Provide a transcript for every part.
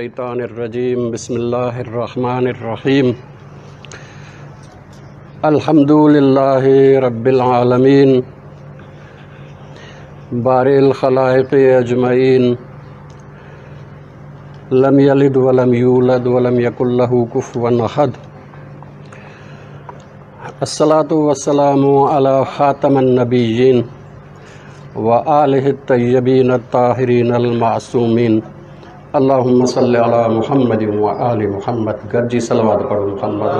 الشيطان الرجيم بسم الله الرحمن الرحيم الحمد لله رب العالمين بارئ الخلائق أجمعين لم يلد ولم يولد ولم يكن له كفوا أحد الصلاة والسلام على خاتم النبيين وآله الطيبين الطاهرين المعصومين اللهم صل على محمد وآل محمد گڏجي صلوات پڙهو محمد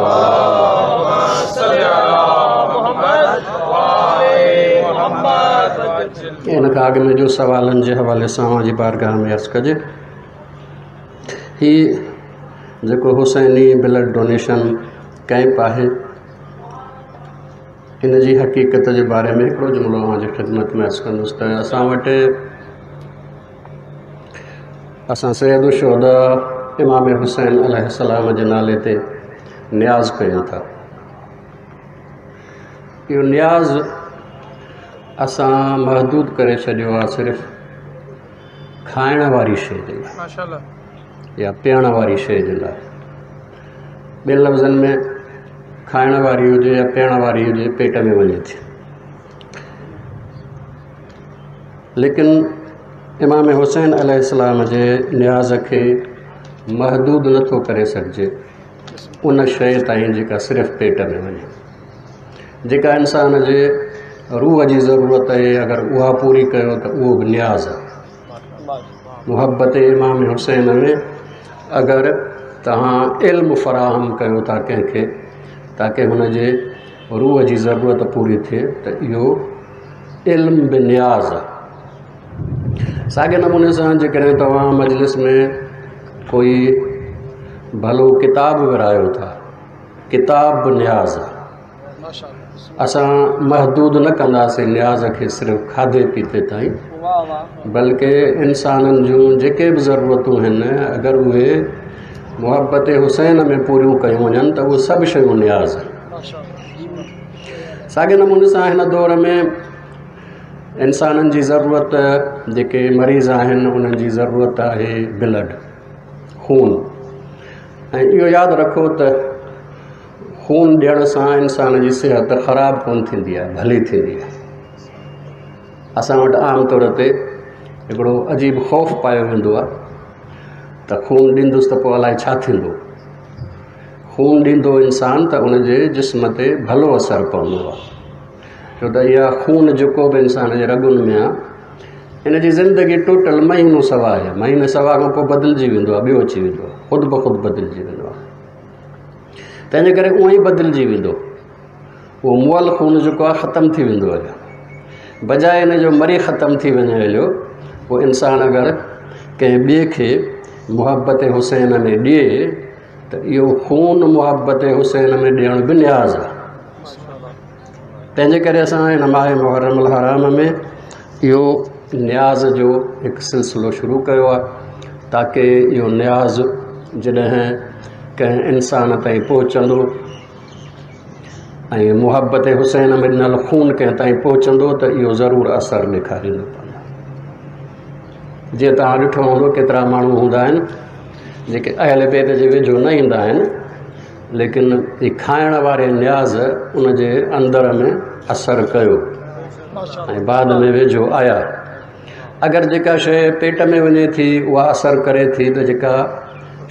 ان کان اڳ ۾ جو سوالن جي حوالي سان اوهان جي بارگاهه ۾ عرض ڪجي هي جيڪو حسيني بلڊ ڊونيشن ڪئمپ آهي ان جي حقيقت جي باري ۾ هڪڙو جملو اوهان جي خدمت ۾ عرض ڪندس ته اسان وٽ اسان سيد الشهداء امام حسين عليه السلام جي نالي تي نياز ڪيون ٿا. اهو نياز اسان محدود ڪري ڇڏيو آهي صرف کائڻ واري شيء جي لاء يا پيئڻ واري شيء جي لاء. ٻين لفظن ۾ کائڻ واري هجي يا پيئڻ واري هجي پيٽ ۾ وڃي ٿي. ليڪن امام حسين عليه السلام جي نياز کي محدود نٿو ڪري سگهجي ان شيء تائين جيڪا صرف پيٽ ۾ وڃي. جيڪا انسان جي روح جي ضرورت آهي اگر اها پوري ڪيو ته اهو به نياز آهي. محبت امام حسين ۾ اگر توهان علم فراهم ڪيو ٿا ڪنهن کي تاڪه هن جي روح جي ضرورت پوري ٿئي ته اهو علم به نياز آهي. ساڳئي نموني سان جيڪڏهن توهان مجلس ۾ ڪوئي ڀلو ڪتاب ورهايو ٿا، ڪتاب به نياز آهي. اسان محدود نه ڪنداسين نياز کي صرف کاڌي پيتي تائين، بلڪه انسانن جون جيڪي به ضرورتون آهن اگر اهي محبت حسين ۾ پوريون ڪيون وڃن ته اهي سڀ شيون نياز آهن. ساڳئي نموني سان هن دور ۾ انسانن جي ضرورت جيڪي مريض آهن انهن جي ضرورت آهي بلڊ، خون. ۽ اهو ياد رکو ته خون ڏيڻ سان انسان جي صحت خراب ڪونه ٿيندي آهي، ڀلي ٿيندي آهي. اسان وٽ عام طور تي هڪڙو عجيب خوف پايو ويندو آهي ته خون ڏيندس ته پوء الائي ڇا ٿيندو. خون ڏيندو انسان ته ان جي جسم تي ڀلو اثر پوندو آهي، ڇو ته اها خون جيڪو به انسان جي رڳن ۾ آهي ان جي زندگي ٽوٽل مهينو سوا آهي. مهيني سوا کان پوء بدلجي ويندو آهي، ٻيو اچي ويندو آهي، خود بخود بدلجي ويندو آهي. تنهنجي ڪري اونئن ئي بدلجي ويندو. اهو مئل خون جيڪو آهي ختم ٿي ويندو هليو، بجاء ان جو مري ختم ٿي وڃي هليو. پوء انسان اگر ڪنهن ٻئي کي محبت حسين ۾ ڏئي ته اهو خون محبت حسين ۾ ڏيڻ به نياز آهي. تنهنجي ڪري اسان هن ماهه محرم الحرام ۾ اهو نياز جو هڪ سلسلو شروع ڪيو آهي تاڪه اهو نياز جڏهن ڪنهن انسان تائين پهچندو ۽ محبت حسين ۾ ڏنل خون ڪنهن تائين پهچندو ته اهو ضرور اثر ڏيکاريندو. جيئن توهان ڏٺو هوندو ڪيترا ماڻهو هوندا آهن جيڪي اهل بيت جي ويجهو نه ايندا آهن، ليڪن هي کائڻ واري نياز ان جي اندر ۾ اثر ڪيو ۽ بعد ۾ ويجهو آيا. اگر جيڪا شيء پيٽ ۾ وڃي ٿي اها اثر ڪري ٿي ته جيڪا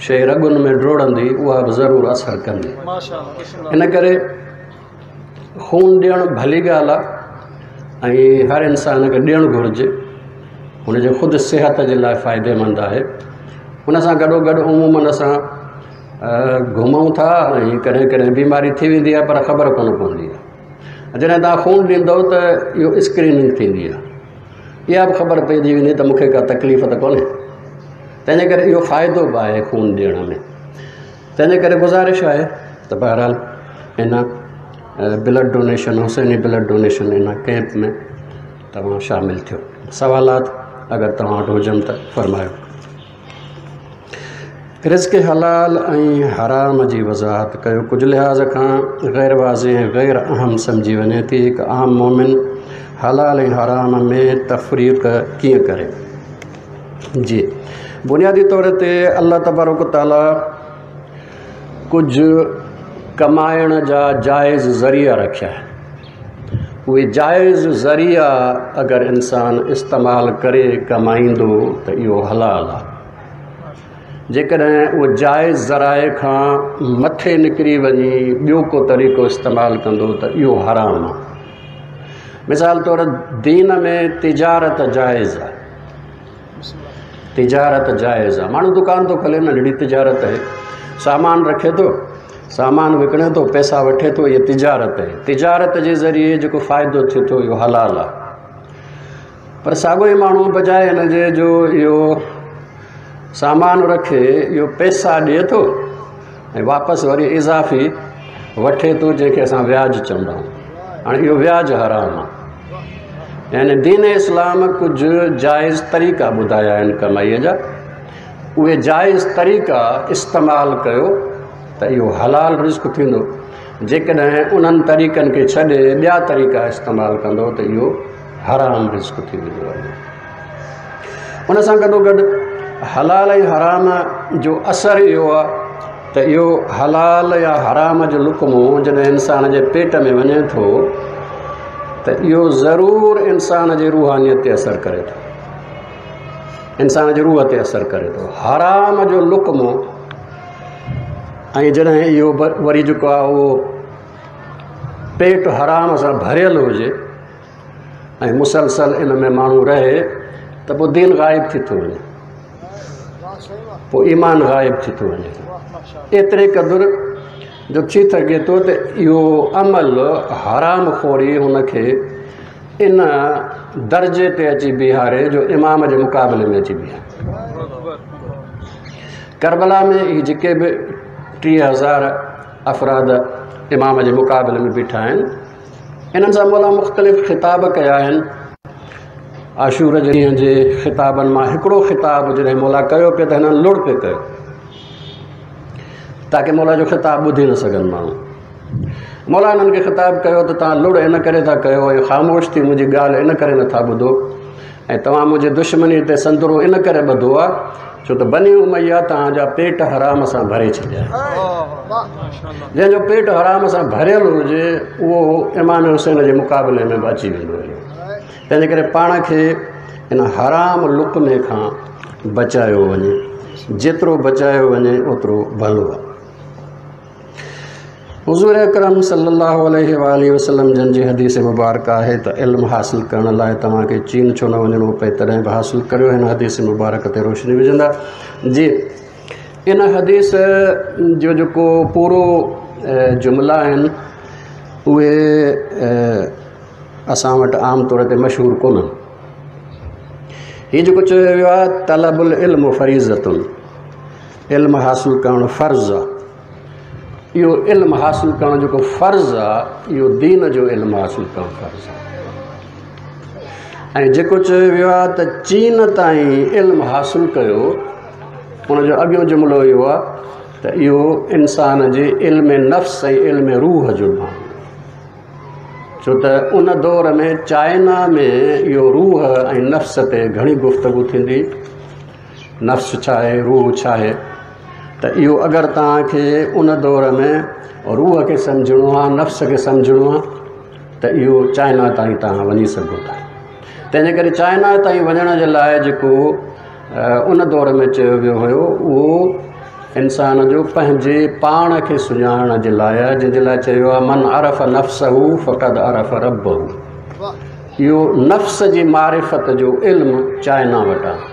شيء رڳن ۾ ڊوڙندي اها به ضرور اثر ڪندي. ان ڪري خون ڏيڻ ڀلي ڳالهه آهي ۽ هر انسان کي ڏيڻ گهرجي، هن جي خود صحت جي لاء فائديمند آهي. ان سان گڏو گڏ عموماً اسان گهمون ٿا ۽ ڪڏهن ڪڏهن بيماري ٿي ويندي آهي پر خبر ڪونه پوندي آهي. جڏهن توهان خون ڏيندؤ ته اهو اسڪريننگ ٿيندي آهي، اها به خبر پئجي ويندي ته مون کي ڪا تڪليف ته ڪونهي. تنهنجي ڪري اهو فائدو به آهي خون ڏيڻ ۾. تنهنجي ڪري گذارش آهي ته بهرحال ان blood donation, Hussaini blood donation ان ڪئمپ ۾ توهان شامل ٿيو. سوالات اگر توهان وٽ هجن ته فرمايو. رزق حلال ۽ حرام جي وضاحت ڪيو. ڪجهه لحاظ کان غير واضح ۽ غير اهم سمجهي وڃي ٿي. هڪ عام مؤمن حلال ۽ حرام ۾ تفريق ڪيئن ڪري؟ جي بنيادي طور تي الله تبارڪ تعاليٰ ڪجهه ڪمائڻ جا جائز ذريعا رکيا آهن. اهي جائز ذريعا اگر انسان استعمال ڪري ڪمائيندو ته اهو حلال آهي. جيڪڏهن اهو جائز ذرائع کان مٿي نڪري وڃي ٻيو ڪو طريقو استعمال ڪندو ته اهو حرام آهي. مثال طور دين ۾ تجارت جائز آهي. تجارت جائز آهي. ماڻهو دڪان ٿو کولي، ننڍڙي تجارت آهي، سامان رکي ٿو، سامان وڪڻي ٿو، پئسا وٺي ٿو، اها تجارت آهي. تجارت جي ذريعي جيڪو فائدو ٿئي ٿو اهو حلال آهي. پر ساڳيو ئي ماڻهو بجاء هن جي جو اهو سامان رکي اهو پئسا ڏئي ٿو ۽ واپس وري اضافي وٺي ٿو، جنهن کي اسان وياج چوندا آهيون. هاڻي اهو وياج حرام آهي. يعني دين اسلام ڪجهه جائز طريقا ٻڌايا آهن ڪمائيء جا، اهي جائز طريقا استعمال ڪيو ته اهو حلال رزق ٿيندو. جيڪڏهن انهن طريقن کي ڇڏي ٻيا طريقا استعمال ڪندو ته اهو حرام رزق ٿي ويندو آهي. ان سان گڏوگڏ حلال ۽ حرام جو اثر اهو آهي ته اهو حلال يا حرام جو لقمو جڏهن انسان جي پيٽ ۾ وڃي ٿو ته اهو ضرور انسان جي روحانيت تي اثر ڪري ٿو، انسان جي روح تي اثر ڪري ٿو. حرام جو لقمو ۽ جڏهن اهو وري جيڪو آهي اهو پيٽ حرام سان ڀريل هجي ۽ مسلسل ان ۾ ماڻهو رهي ته پوء دين غائب ٿي ٿو وڃي، پوء ايمان غائب ٿي ٿو وڃي. ايتري قدر جو ٿي سگهي ٿو ته اهو عمل حرام خوري هن کي ان درجي تي اچي بيهاري جو امام جي مقابلي ۾ اچي بيهاري. ڪربلا ۾ هي جيڪي به 30,000 افراد امام جي مقابلي ۾ بيٺا آهن، انهن سان مولا مختلف خطاب ڪيا آهن. عاشور جي ڏينهن جي خطابن مان هڪڙو خطاب جڏهن مولا ڪيو پئي ته هنن لڙ پئي ڪيو تاڪه مولا جو خطاب ٻڌي نه سگهن ماڻهو. مولا انهن کي خطاب ڪيو ته توهان لڙ ان ڪري ٿا ڪيو ۽ خاموش ٿي منهنجي ڳالهه ان ڪري نٿا ٻڌو ۽ توهان منهنجي دشمني تي سندرو ان ڪري ٻڌو آهي ڇو ته بني اميه توهان جا پيٽ حرام سان ڀري ڇڏيا آهن. جنهن جو پيٽ حرام سان ڀريل هجي اهو امام حسين جي مقابلي ۾ به اچي ويندو هيو. تنهنجي ڪري پاڻ کي ان حرام لقمي کان بچايو وڃي، جيترو بچايو وڃي اوترو ڀلو آهي. حضور اڪرم صلي الله عليه واٰله وسلم جن جي حديث مبارڪ آهي ته علم حاصل ڪرڻ لاء توهان کي چين ڇو نه وڃڻو پئي تڏهن به حاصل ڪريو. هن حديث مبارڪ تي روشني وجهندا. جي ان حديث جو جيڪو پورو جملا آهن اهي اسان وٽ عام طور تي مشهور ڪونهن. هي جيڪو چيو ويو آهي طلب العلم فريضة، علم حاصل ڪرڻ فرض آهي. اهو علم حاصل ڪرڻ جيڪو فرض آهي اهو دين جو علم حاصل ڪرڻ فرض آهي. ۽ جيڪو چيو ويو آهي ته چين تائين علم حاصل ڪيو، ان جو اڳيون جملو اهو آهي ته اهو انسان جي علم نفس ۽ علم روح جو ڀاڱو، ڇو ته ان دور ۾ چائنا ۾ اهو روح ۽ نفس تي گهڻي گفتگو ٿيندي، نفس ڇا آهي، روح ڇا آهي. ته اهو اگر توهان کي ان دور ۾ روح کي سمجهڻو آهي، نفس کي سمجهڻو آهي ته اهو چائنا تائين توهان وڃي سگهو ٿا. تنهنجي ڪري چائنا تائين وڃڻ جي لاء جيڪو ان دور ۾ چيو ويو هيو اهو انسان جو پنهنجي پاڻ کي سڃاڻڻ جي لاء آهي، جنهن جي لاء چيو آهي من عرف نفسه فقد عرف ربه. اهو نفس جي معرفت جو علم چائنا وٽ آهي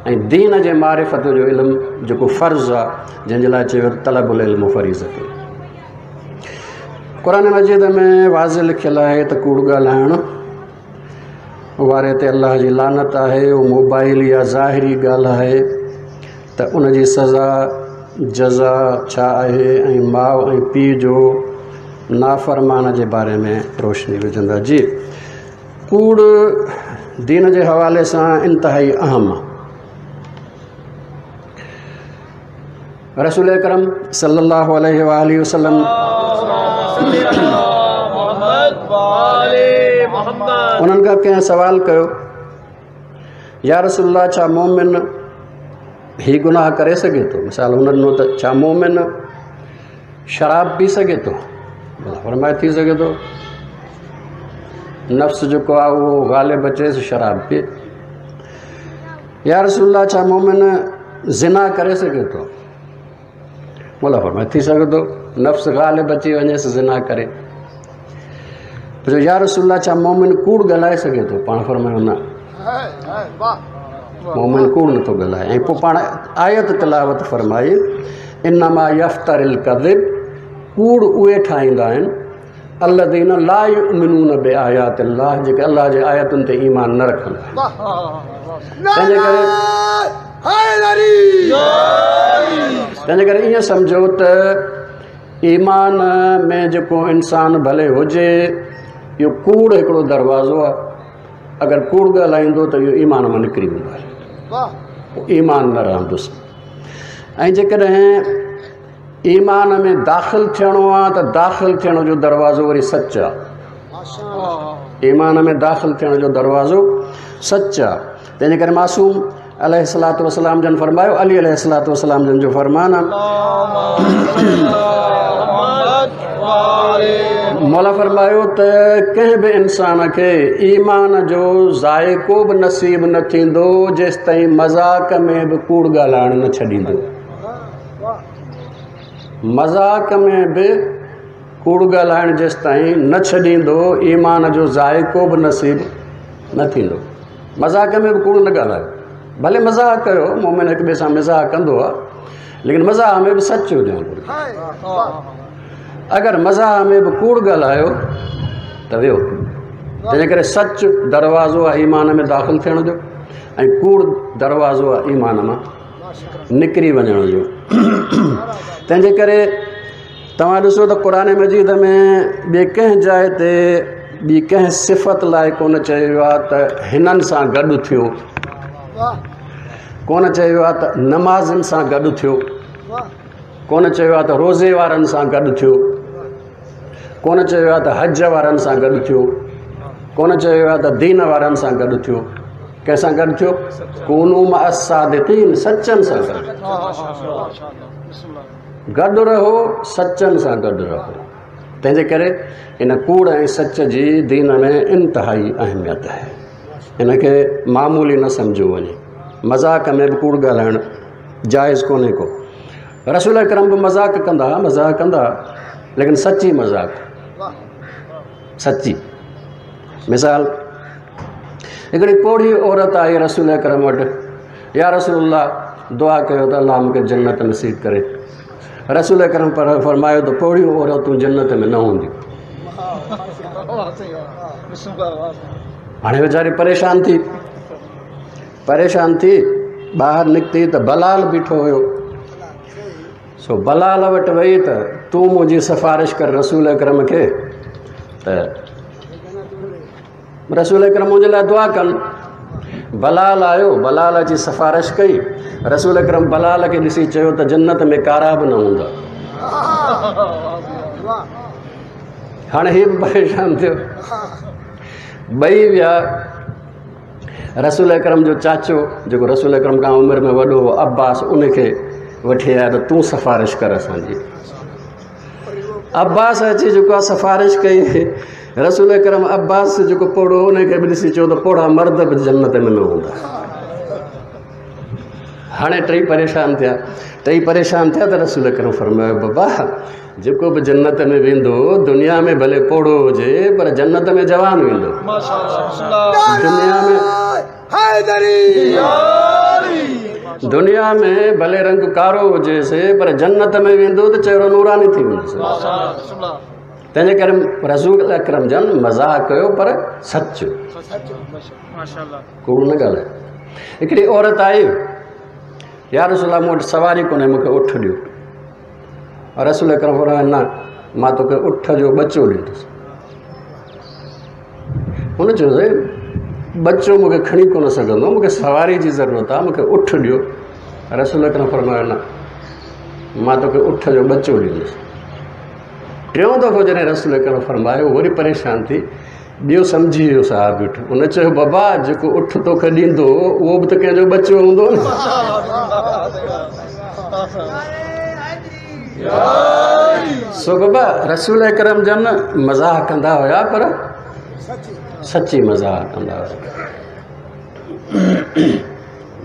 ۽ دين جي معرفت جو علم جيڪو فرض آهي، جنهن جي لاء چيو طلب العلم فريضة. قرآن مجيد ۾ واضح لکيل آهي ته ڪوڙ ڳالهائڻ واري تي الله جي لعنت آهي. اهو موبائل يا ظاهري ڳالهه آهي ته ان جي سزا جزا ڇا آهي ۽ ماء ۽ پيء جو نافرمان جي باري ۾ روشني وجهندا. جي ڪوڙ دين جي حوالي سان انتهائي اهم آهي. رسول اڪرم صلي الله عليه واٰله وسلم انهن کان ڪنهن سوال ڪيو، يا رسول الله ڇا مومن هي گناهه ڪري سگهي ٿو؟ مثال هن ڏنو ته ڇا مومن شراب پي سگهي ٿو؟ فرمائي ٿي سگهي ٿو، نفس جيڪو آهي اهو غالب اچيس شراب پي. يا رسول الله ڇا مومن زنا ڪري سگهي ٿو؟ مولا فرمائي ٿي سگهي ٿو، نفس غالب اچي وڃيس زنا ڪري. پڇيو يا رسول الله ڇا مومن ڪوڙ ڳالهائي سگهي ٿو؟ پاڻ فرمايو نه، مومن ڪوڙ نٿو ڳالهائي. ۽ پوء پاڻ آيت تلاوت فرمائي انما يفتر الڪذب، ڪوڙ اهي ٺاهيندا آهن الذين لا يؤمنون بآيات الله، جيڪي الله جي آيتن تي ايمان نه رکندا آهن. تنهنجي ڪري ائين سمجهو ته ايمان ۾ جيڪو انسان ڀلي هجي، اهو ڪوڙ هڪڙو دروازو آهي. اگر ڪوڙ ڳالهائيندو ته اهو ايمان مان نڪري ويندو آهي، ايمان نه رهندس. ۽ جيڪڏهن ايمان ۾ داخل ٿيڻو آهي ته داخل ٿيڻ جو دروازو وري سچ آهي. ايمان ۾ داخل ٿيڻ جو دروازو سچ آهي. تنهنجي ڪري معصوم عليه الصلوة والسلام جن فرمايو، علي عليه الصلوة والسلام جن جو فرمان آهي، مولا فرمايو ته ڪنهن به انسان کي ايمان جو ذائقو به نصيب نه ٿيندو جيستائين مذاق ۾ به ڪوڙ ڳالهائڻ نه ڇڏيندو. مذاق ۾ به ڪوڙ ڳالهائڻ جيستائين نه ڇڏيندو ايمان جو ذائقو به نصيب نه ٿيندو. مذاق ۾ به ڪوڙ نه ڳالهايو، ڀلي مذاق ڪيو، مومن هڪ ٻئي سان مزاح ڪندو آهي، ليڪن مزاح ۾ به سچ هجڻ گهرجي. اگر مزاح ۾ به ڪوڙ ڳالهايو ته ويو. تنهن ڪري سچ دروازو آهي ايمان ۾ داخل ٿيڻ جو، ۽ ڪوڙ دروازو آهي ايمان مان نڪري وڃڻ جو. تنهنجي ڪري توهان ڏسو ته قرآن مجيد ۾ ٻي ڪنهن جاء تي ٻي ڪنهن صفت لاء ڪونه چيو ويو آهي ته هنن سان گڏ ٿيو، ڪونه چيو ويو آهي ته نمازين سان گڏ ٿيو، ڪونه چيو ويو آهي ته روزي وارن سان گڏ ٿيو، ڪونه چيو ويو آهي ته حج وارن سان گڏ ٿيو، ڪونه چيو ويو آهي ته دين وارن سان گڏ ٿيو. ڪنهن سان گڏ ٿيو؟ ڪونوا مع الصادقين، سچن سان گڏ گڏ رهو، سچن سان گڏ رهو. تنهنجي ڪري ان ڪوڙ ۽ سچ جي دين ۾ انتهائي اهميت آهي. ان کي معمولي نه سمجهيو وڃي. مذاق ۾ به ڪوڙ ڳالهائڻ جائز ڪونهي ڪو. رسول اڪرم به مذاق ڪندا ها، مذاق ڪندا ها، ليڪن سچي مذاق، سچي. مثال هڪڙي پوڙهي عورت آئي رسول اڪرم وٽ، يا رسول الله دعا ڪيو ته الله مون کي جنت نصيب ڪري. رسول اڪرم فرمايو ته پوڙهيون عورتون جنت ۾ نه هونديون. هاڻي ويچاري پريشان ٿي، پريشان ٿي ٻاهر نڪتي ته بلال بيٺو هيو. سو بلال وٽ وئي ته تون منهنجي سفارش ڪر رسول اڪرم کي ته رسول اڪرم منهنجي لاء دعا ڪن. بلال آيو، بلال اچي سفارش ڪئي. رسول اڪرم بلال کي ڏسي چيو ته جنت ۾ ڪارا به نه هوندا. هاڻي هي به پريشان ٿيو. ٻئي ويا رسول اڪرم جو چاچو جيڪو رسول اڪرم کان عمر ۾ وڏو هو عباس، ان کي وٺي آيا ته تون سفارش ڪر اسان جي. عباس اچي جيڪو آهي سفارش ڪئي. رسول اڪرم عباس جيڪو پوڙهو ان کي به ڏسي چيو ته پوڙها مرد به جنت ۾ نه هوندا. هاڻي ٽئي پريشان ٿيا، ٽئي پريشان ٿيا ته رسول اڪرم فرمايو بابا جيڪو به جنت ۾ ويندو دنيا ۾ ڀلي پوڙهو هجي پر جنت ۾ جوان ويندو. دنيا ۾ ڀلي رنگ ڪارو هجيس پر جنت ۾ ويندو ته چهرو نوراني ٿي ويندس. تنهنجي ڪري رسول اڪرم جن مذاق ڪيو پر سچ، ڪوڙ نه ڳالهايو. هڪڙي عورت آئي، يا رسول الله مون وٽ سواري ڪونهي، مون کي اٺ ڏيو. رسول اڪرم فرمايو نه، مان توکي اٺ جو ٻچو ڏيندس. هن چيو سائين ٻچو مون کي کڻي ڪونه سگهندو، مون کي سواري جي ضرورت آهي، مون کي اٺ ڏيو. رسول اڪرم فرمايو نه، مان توکي اٺ جو ٻچو ڏيندس. ٽيون دفعو جڏهن رسول اڪرم فرمايو وري پريشان ٿي، ٻيو سمجهي ويو صاحب بيٺو. ان چيو بابا جيڪو اٺ توکي ڏيندو اهو به ته ڪنهن جو ٻچو هوندو نه. سو بابا رسول اڪرم جن مزاح ڪندا هيا پر سچي مزاح ڪندا هيا.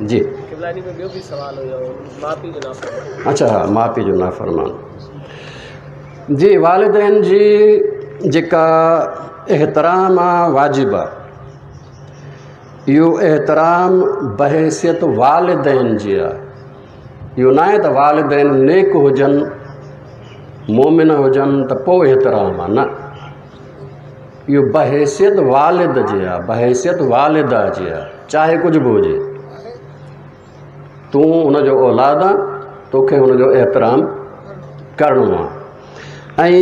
جي اڇا ها ماء پيء جو نافرمان. جي والدين جي جيڪا احترام آ واجب آ، اهو احترام بحيثيت والدين جي آ. اهو ناهي ته والدين نيڪ هجن مومن هجن ته پوء احترام آ، نه، اهو بحيثيت والد جي آ، بحيثيت والده جي آ، چاهي ڪجهه به هجي تون ان جو اولاد آ، توکي ان جو احترام ڪرڻو آ. ۽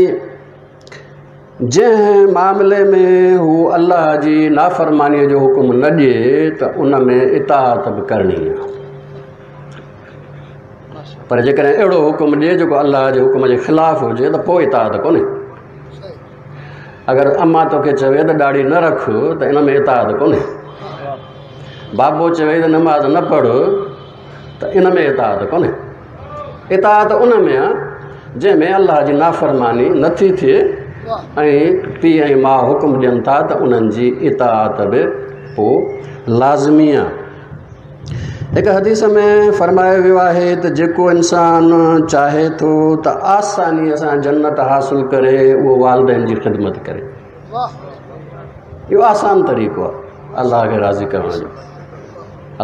جنهن معاملي ۾ هو الله جي نافرمانيء جو حڪم نه ڏئي ته ان ۾ اطاعت به ڪرڻي آ. پر جيڪڏهن اهڙو حڪم ڏئي جيڪو الله جي حڪم جي خلاف هجي ته پوء اطاعت ڪونهي. اگر اما توکي چوي ته ڏاڙهي نه رک ته ان ۾ اطاعت ڪونهي. بابو چوي ته نماز نه پڙهه ته ان ۾ اطاعت ڪونهي. اطاعت ان ۾ آ جنهن ۾ الله جي نافرماني نٿي ٿئي ۽ پيء ۽ ماء حڪم ڏين ٿا ته انهن جي اطاعت به پوء لازمي آ. هڪ حديث ۾ فرمايو ويو آهي ته جيڪو انسان چاهي ٿو ته آسانيء سان جنت حاصل ڪري اهو والدين جي خدمت ڪري. اهو آسان طريقو آهي الله کي راضي ڪرڻ جو،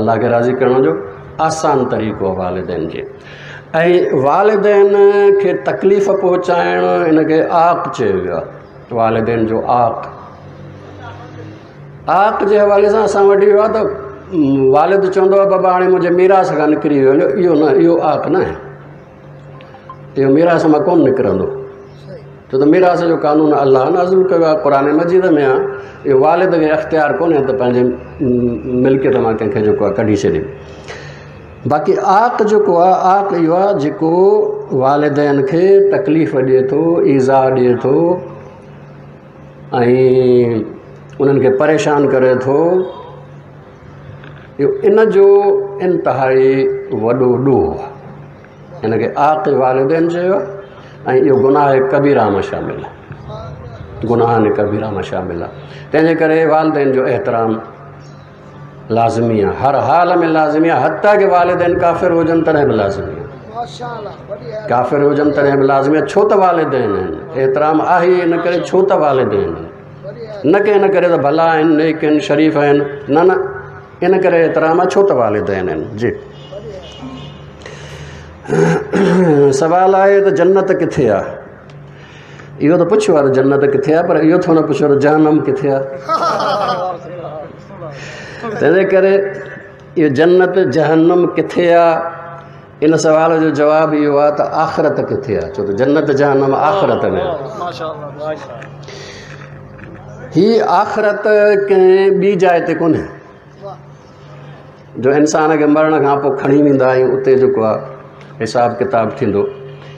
الله کي راضي ڪرڻ جو آسان طريقو آهي والدين جي. ۽ والدين کي تڪليف پهچائڻ ان کي عاق چيو ويو آهي، والدين جو عاق. عاق جي حوالي سان اسان وٽ اهو آهي ته والد چوندو آهي بابا هاڻي منهنجي ميراث کان نڪري ويو هليو، اهو نه، اهو عاق نه آهي، اهو ميراث مان ڪونه نڪرندو، ڇو ته ميراث جو قانون الله نازل ڪيو آهي، قرآن مجيد ۾ آهي. اهو والد کي اختيار ڪونهي ته پنهنجي ملڪيت مان ڪنهن کي جيڪو آهي ڪڍي ڇڏي. باقي عاق جيڪو آهي، عاق اهو آهي جيڪو والدين کي تڪليف ڏئي ٿو، ايذاء ڏئي ٿو ۽ انهن کي پريشان ڪري ٿو، اهو ان جو انتهائي وڏو ڏوهه آهي. ان کي عاق والدين چيو آهي ۽ اهو گناهه ڪبيره مان شامل آهي، گناهن ڪبيره مان شامل آهي. تنهن جي ڪري والدين جو احترام لازمي آهي، هر حال ۾ لازمي آهي، حتيٰ ڪه والدين ڪافر هجن تڏهن به لازمي آهي، ڪافر هجن تڏهن به لازمي آهي، ڇو ته والدين آهن، احترام آهي ان ڪري ڇو ته والدين آهن، نه ڪه ان ڪري ته ڀلا آهن، نيڪ آهن، شريف آهن، نه نه، ان ڪري احترام آهي ڇو ته والدين آهن. جي سوال آهي ته جنت ڪٿي آهي؟ اهو ته پڇيو آهي ته جنت ڪٿي آهي، پر اهو ٿو نه پڇيو ته جهنم ڪٿي آهي. تنهنجي ڪري اهو جنت جهنم ڪٿي آهي، ان سوال جو جواب اهو آهي ته آخرت ڪٿي آهي، ڇو ته جنت جهنم آخرت ۾ آهي. هي آخرت ڪنهن ٻي جاء تي ڪونهي جو انسان کي مرڻ کان پوء کڻي ويندا ۽ اتي جيڪو آهي حساب ڪتاب ٿيندو.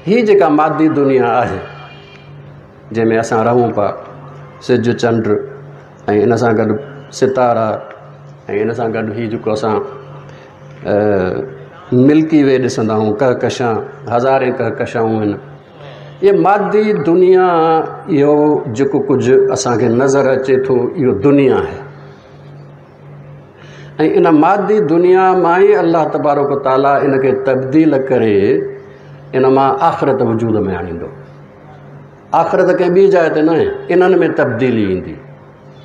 هي جيڪا مادي دنيا آهي جنهن ۾ اسان رهون پيا، سج چنڊ ۽ ان سان گڏ ستارا ۽ ان سان گڏ هي جيڪو اسان ملڪي وي ڏسندا آهيون، ڪهڪشان، هزارين ڪهڪشائون آهن. اهي مادي دنيا، اهو جيڪو ڪجهه اسان کي نظر اچي ٿو اهو دنيا آهي ۽ ان مادي دنيا مان ئي الله تبارڪ و تعاليٰ ان کي تبديل ڪري ان مان آخرت وجود ۾ آڻيندو. آخرت ڪنهن ٻي جاء تي ناهي، انهن ۾ تبديلي ايندي.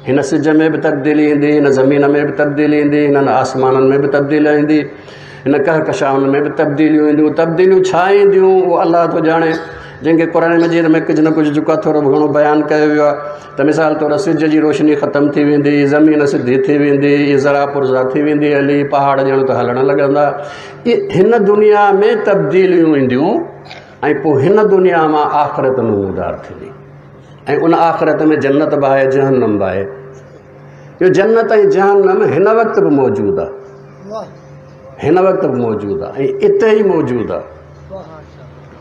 هن سج ۾ به تبديلي ايندي، هن زمين ۾ به تبديلي ايندي، هنن آسمانن ۾ به تبديلي ايندي، هن ڪهڪشائن ۾ به تبديليون اينديون. تبديليون ڇا اينديون اهو الله ٿو ڄاڻي، جنهن کي قرآن مجيد ۾ ڪجهه نه ڪجهه جيڪو آهي ٿورو گهڻو بيان ڪيو ويو آهي ته مثال طور سج جي روشني ختم ٿي ويندي، زمين سڌي ٿي ويندي، اهي ذرا پرزا ٿي ويندي هلي، پهاڙ ڄڻ ته هلڻ لڳندا. اهي هن دنيا ۾ تبديليون اينديون ۽ پوء هن دنيا مان آخرت نمودار ٿيندي ۽ ان آخرت ۾ جنت به آهي جهنم به آهي. اهو جنت ۽ جهنم هن وقت به موجود آهي، هن وقت به موجود آهي ۽ اتي ئي موجود آهي،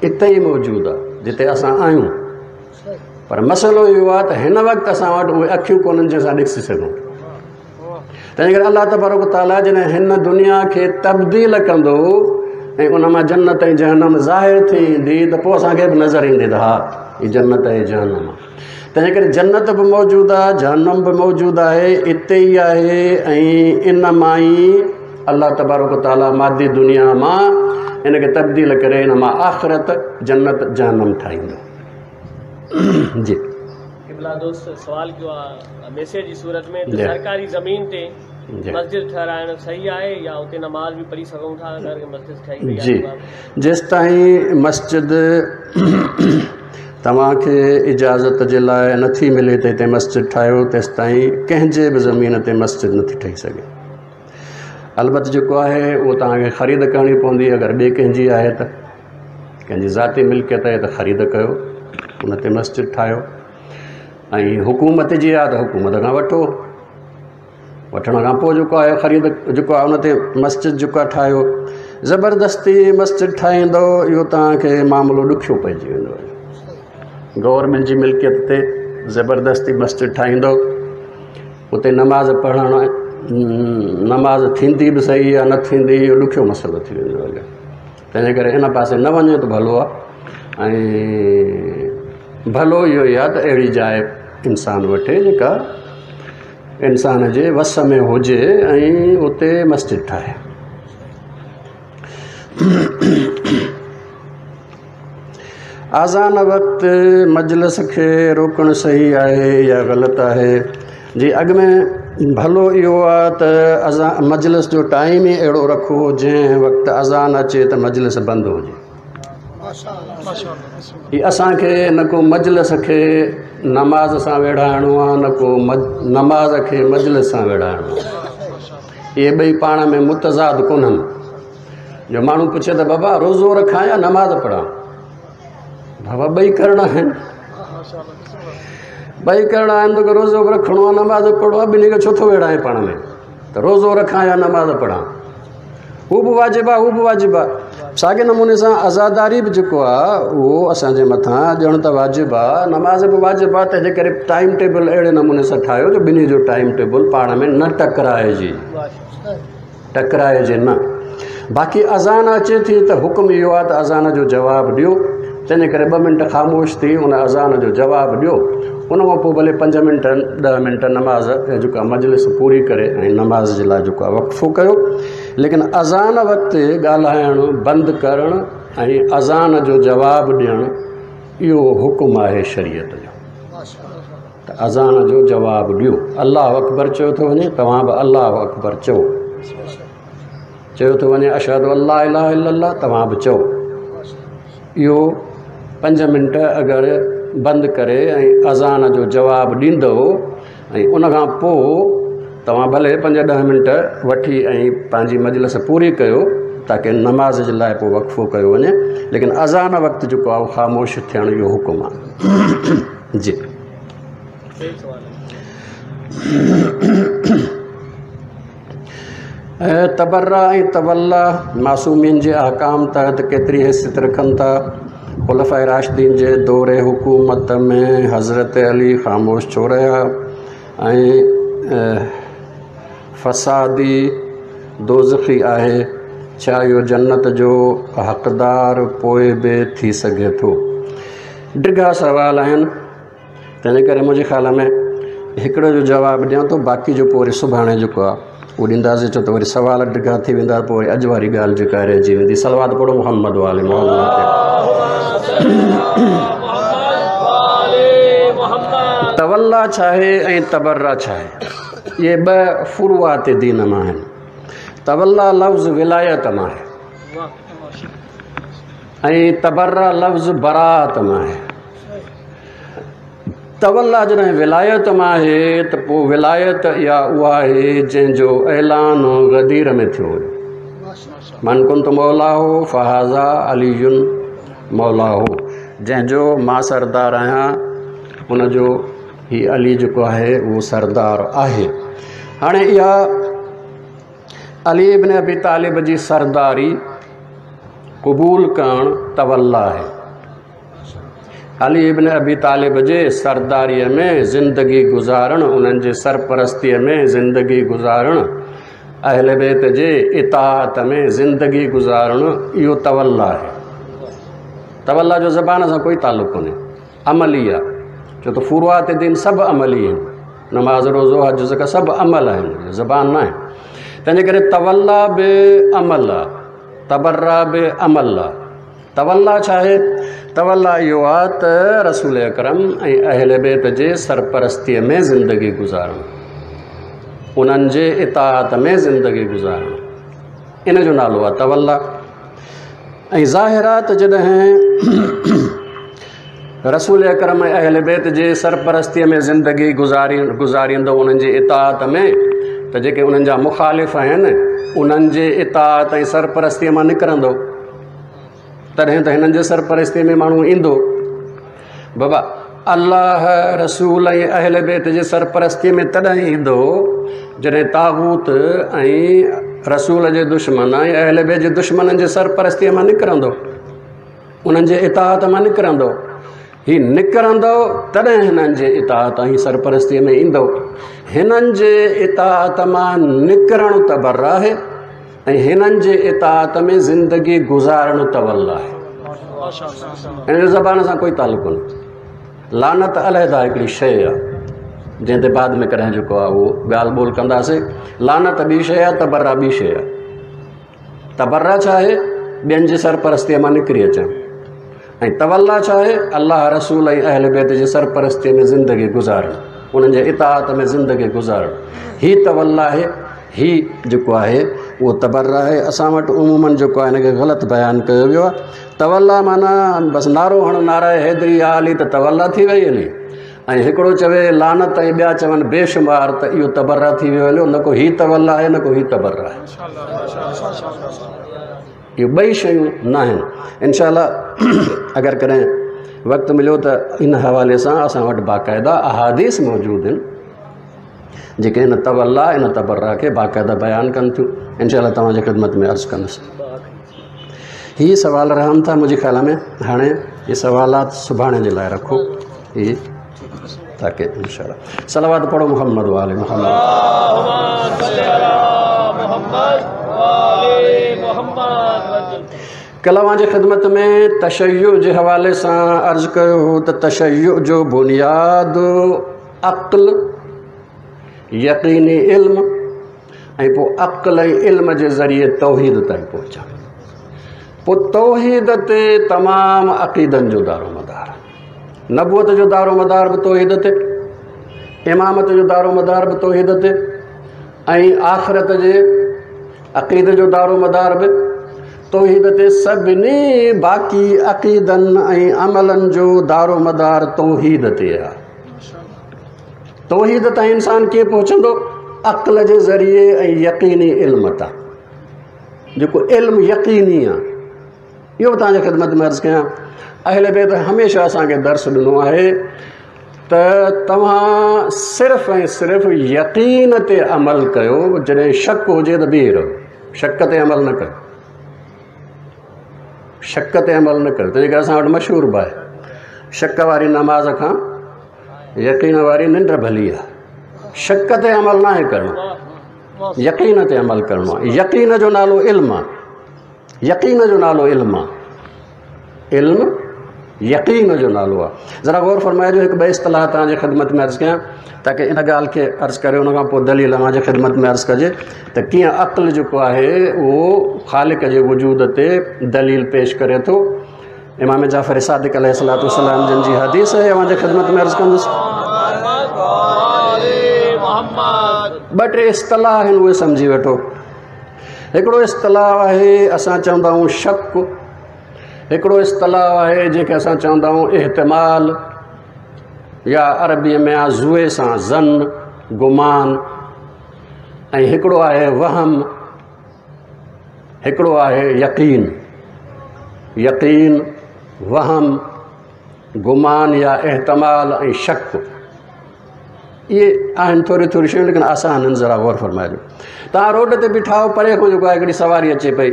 اتي ئي موجود آهي جتي اسان آهيون. پر مسئلو اهو آهي ته هن وقت اسان وٽ اهي اکيون ڪونهن جنهن سان ڏسي سگهون. تنهن ڪري الله تبارڪ وتعاليٰ جڏهن هن دنيا کي تبديل ڪندو ۽ ان مان جنت ۽ جهنم ظاهر ٿي ايندي ته پوء اسان کي به نظر ايندي ته ها هي جنت ۽ جهنم آهي. تنهن ڪري جنت به موجود آهي، جهنم به موجود آهي، اتي ئي آهي ۽ ان مان ئي الله تبارڪ وتعاليٰ مادي دنيا مان ان کي تبديل ڪري ان مان آخرت، جنت، جهنم ٺاهيندو. جي. قبلا دوست سوال ڪيو آ ميسيج جي صورت ۾ ته سرڪاري زمين تي مسجد ٺهرائڻ صحيح آهي يا اتي نماز به پڙهي سگهون ٿا اگر مسجد ٺهي وئي آهي جي جيستائين مسجد توهان کي اجازت جي لاء نٿي ملي ته هتي مسجد ٺاهيو تيستائين ڪنهن جي به زمين تي مسجد نٿي ٺهي سگهي البت جيڪو آهي اهو توهان کي خريد ڪرڻي پوندي اگر ٻئي ڪنهن جي آهي ته ڪنهن جي ذاتي ملڪيت آهي ته خريد ڪيو ان تي مسجد ٺاهيو ۽ حڪومت جي آهي ته حڪومت کان وٺو وٺڻ کان پوءِ جيڪو آهي خريد جيڪو آهي ان تي مسجد جيڪو آهي ٺاهيو زبردستي مسجد ٺاهيندو اهو توهان کي معاملو ڏکيو پئجي ويندو گورنمينٽ جي ملڪيت تي زبردستي مسجد ٺاهيندو اتي نماز پڙهڻ نماز ٿيندي به صحيح يا نه ٿيندي اهو ڏکيو مسئلو ٿي ويندو هليو تنهن جي ڪري ان پاسي نه وڃو ته ڀلو آهي ۽ ڀلو اهو ئي آهي ته اهڙي جاءِ انسان وٺي جيڪا انسان جي وس ۾ هجي ۽ اتي مسجد ٺاهي. اذان وقت مجلس کي روڪڻ صحيح آهي يا غلط آهي؟ جي اڳ ۾ ڀلو اهو آهي ته اذان مجلس جو ٽائيم ئي اهڙو رکو جنهن وقت اذان اچي ته مجلس بند هجي. هي اسان کي نه ڪو مجلس کي نماز سان ويڙهائڻو آهي نه ڪو نماز کي مجلس سان ويڙهائڻو آهي. اهي ٻئي پاڻ ۾ متضاد ڪونهن. جو ماڻهو پڇي ته بابا روزو رکان يا نماز پڙهان؟ بابا ٻئي ڪرڻا آهن، ٻئي ڪرڻا آهن توکي روزو به رکڻو آهي نماز به پڙهڻو آهي ٻنهي کي ڇو ٿو ويڙهائين پاڻ ۾ ته روزو رکان يا نماز پڙهان هو به واجب آهي هو به واجب آهي ساڳي نموني سان عزاداري به جيڪو آهي اهو اسانجي مٿان ڄڻ ته واجب آهي نماز به واجب آهي تنهنجي ڪري ٽائيم ٽيبل اهڙي نموني سان ٺاهيو جو ٻنهي جو ٽائيم ٽيبل پاڻ ۾ نه ٽڪرائجي. ٽڪرائجي نه. باقي اذان اچي ٿي ته حڪم اهو آهي ته اذان جو جواب ڏيو، تنهنجي ڪري ٻه منٽ خاموش ٿي ان اذان جو جواب ڏيو، ان کان پوء ڀلي پنج منٽ ڏهه منٽ نماز جيڪا مجلس پوري ڪري ۽ نماز جي لاء جيڪو آهي وقفو ڪيو، ليڪن اذان وقت ڳالهائڻ بند ڪرڻ ۽ اذان جو جواب ڏيڻ اهو حڪم آهي شريعت جو. ته اذان جو جواب ڏيو. الله اڪبر چيو ٿو وڃي توهان به الله اڪبر چئو. چيو ٿو وڃي اشهد ان لا اله الا الله توهان به چئو. اهو پنج منٽ اگر بند ڪري ۽ اذان جو جواب ڏيندؤ ۽ ان کان پوء توهان ڀلي پنج ڏهه منٽ وٺي ۽ پنهنجي مجلس پوري ڪيو تاڪه نماز جي لاء پوء وقفو ڪيو وڃي ليڪن اذان وقت جيڪو آهي خاموش ٿيڻ اهو حڪم آهي. جي تبرا ۽ تولي معصومين جي احڪام تحت ڪيتري حيثيت رکن ٿا؟ خلفاء راشدين جي دور حڪومت ۾ حضرت علي خاموش ڇو رهيا ۽ فسادي دوزخي آهي؟ ڇا اهو جنت جو حقدار پوء به ٿي سگهي ٿو؟ ڊگها سوال آهن تنهنجي ڪري منهنجي خيال ۾ هڪڙي جو جواب ڏيان ٿو باقي جو پوء وري سڀاڻي جيڪو آهي اهو ڏينداسين ڇو ته وري سوال ڊگها ٿي ويندا پوء وري اڄ واري ڳالهه جيڪا رهجي ويندي صلوات پڙهو محمد وآل محمد تي. تولي ڇا آهي ۽ تبرا ڇا آهي اهي ٻه فروعات دين مان آهن تولي لفظ ولايت مان آهي ۽ تبرا لفظ براءت مان آهي. تولي جڏهن ولايت مان آهي ته پوء ولايت اها اها آهي جنهن جو اعلان غدير ۾ ٿيو هيو. من ڪنت مولاه فهذا علي مولاه جنهن جو مان سردار آهيان ان جو هي علي جيڪو آهي اهو سردار آهي. هاڻي اها علي ابن ابي طالب جي سرداري قبول ڪرڻ تولي آهي. علي ابن ابي طالب جي سرداريء ۾ زندگي گذارڻ، انهن جي سرپرستيء ۾ زندگي گذارڻ، اهل بيت جي اطاعت ۾ زندگي گذارڻ اهو تولا آهي. تولا جو زبان سان ڪوئي تعلق ڪونهي، عملي آهي. ڇو ته فروعات دين سڀ عملي آهن، نماز، روزو، حج، زڪوات سڀ عمل آهن، زبان نه آهي. تنهنجي ڪري تولا به عمل آهي، تبرا به عمل آهي. تولا ڇا آهي؟ تولا اهو آهي ته رسول اڪرم ۽ اهل بيت جي سرپرستيء ۾ زندگي گذارڻ، انهن جي اطاعت ۾ زندگي گذارڻ، ان جو نالو آهي تولا. ۽ ظاهر آهي ته جڏهن رسول اڪرم ۽ اهل بيت جي سرپرستيء ۾ زندگي گذاريندو انهن جي اطاعت ۾، ته جيڪي انهن جا مخالف آهن انهن جي اطاعت ۽ سرپرستيء مان نڪرندو، تڏهن ته هنن جي سرپرستيء ۾ ماڻهو ايندو. بابا الله، رسول ۽ اهل بيت جي سرپرستيء ۾ تڏهن ايندو جڏهن طاغوت ۽ رسول جي دشمن ۽ اهل بيت جي دشمنن جي سرپرستيء مان نڪرندو، انهن جي اطاعت مان نڪرندو. هي نڪرندو تڏهن هنن جي اطاعت ۽ سرپرستيء ۾ ايندو. هنن جي اطاعت مان نڪرڻ تبرا آهي ۽ هنن جي اطاعت ۾ زندگي گذارڻ تولا آهي. هن جو زبان سان ڪوئي تعلق ڪونهي. لعنت علحده هڪڙي شيء آهي جنهن تي بعد ۾ ڪڏهن جيڪو آهي اهو ڳالهه ٻولهه ڪنداسين. لعنت ٻي شيء آهي، تبرا ٻي شيء آهي. تبرا ڇا آهي؟ ٻين جي سرپرستيء مان نڪري اچڻ. ۽ تولا ڇا آهي؟ الله، رسول ۽ اهل بيت جي سرپرستيء ۾ زندگي گذارڻ، انهن جي اطاعت ۾ زندگي گذارڻ. هي تولا آهي، هي جيڪو آهي اهو تبرا آهي. اسان وٽ عموماً جيڪو آهي هن کي غلط بيان ڪيو ويو آهي. تولا معنيٰ بس نعرو هڻ، نعره حيدري يا علي ته تولا ٿي وئي هلي. ۽ هڪڙو چوي لعنت ۽ ٻيا چون بيشمار ته اهو تبرا ٿي ويو هليو. نه ڪو هي تولا آهي نه ڪو هي تبرا آهي، اهي ٻئي شيون نه آهن. انشاء الله اگر ڪڏهن وقت مليو ته ان حوالي سان اسان وٽ باقاعده احاديث موجود آهن جيڪي هن تولا ان تبرا کي باقاعده بيان ڪن ٿيون. انشاء الله توهان جي خدمت ۾ عرض ڪندس. هي سوال رهن ٿا منهنجي خيال ۾ هاڻي هي سوالات سڀاڻي جي لاء رکو هي تاڪه انشاء الله صلوات پڙهو محمد وآل محمد. ڪل اوهان جي خدمت ۾ تشيع جي حوالي سان عرض ڪيو هو ته تشيع جو بنياد عقل، يقيني علم ۽ پوء عقل ۽ علم جي ذريعي توحيد تائين پهچڻ. پوء توحيد تي تمام عقيدن جو دارو مدار، نبوت جو دارو مدار به توحيد تي، امامت جو دارو مدار به توحيد تي، ۽ آخرت جي عقيدي جو دارو مدار به توحيد تي. سڀني باقي عقيدن ۽ عملن جو دارو مدار توحيد تي آهي. توحيد تائين انسان ڪيئن پهچندو؟ عقل جي ذريعي ۽ يقيني علم تان، جيڪو علم يقيني آهي. اهو به توهان جي خدمت ۾ عرض ڪيان، اهل بيت هميشه اسان کي درس ڏنو آهي ته توهان صرف ۽ صرف يقين تي عمل ڪيو، جڏهن شڪ هجي ته بيهي رهو، شڪ تي عمل نه ڪيو، شڪ تي عمل نه ڪيو. تنهنجي ڪري اسان وٽ مشهور به آهي، شڪ واري نماز کان يقين واري ننڊ ڀلي آهي. شڪ تي عمل ناهي ڪرڻو، يقين تي عمل ڪرڻو آهي. يقين جو نالو علم آهي، يقين جو نالو علم آهي، علم يقين جو نالو آهي. ذرا غور فرمائجو، هڪ ٻه اصطلاح توهان جي خدمت ۾ عرض ڪيان تاڪه ان ڳالهه کي عرض ڪري ان کان پوء دليل اوهان جي خدمت ۾ عرض ڪجي ته ڪيئن عقل جيڪو آهي اهو خالق جي وجود تي دليل پيش ڪري ٿو. امام جعفر صادق عليه الصلوة والسلام جن جي حديث آهي، اوهان جي خدمت ۾ عرض ڪندس. ٻه ٽي اصطلاح آهن اهي سمجهي وٺو. هڪڙو اصطلاح آهي اسان چوندا آهيون شڪ، هڪڙو اصطلاح آهي جنهن کي اسان چوندا آهيون احتمال، يا عربيء ۾ آهي زوي سان ظن، گمان، ۽ هڪڙو آهي وهم، هڪڙو آهي يقين. يقين، وهم، گمان يا احتمال ۽ شڪ، اهي آهن ٿوريون ٿوريون شيون ليڪن آسان آهن. ذرا غور فرمائجو. توهان روڊ تي بيٺا آهيو، پري کان جيڪو آهي هڪڙي سواري اچي پئي،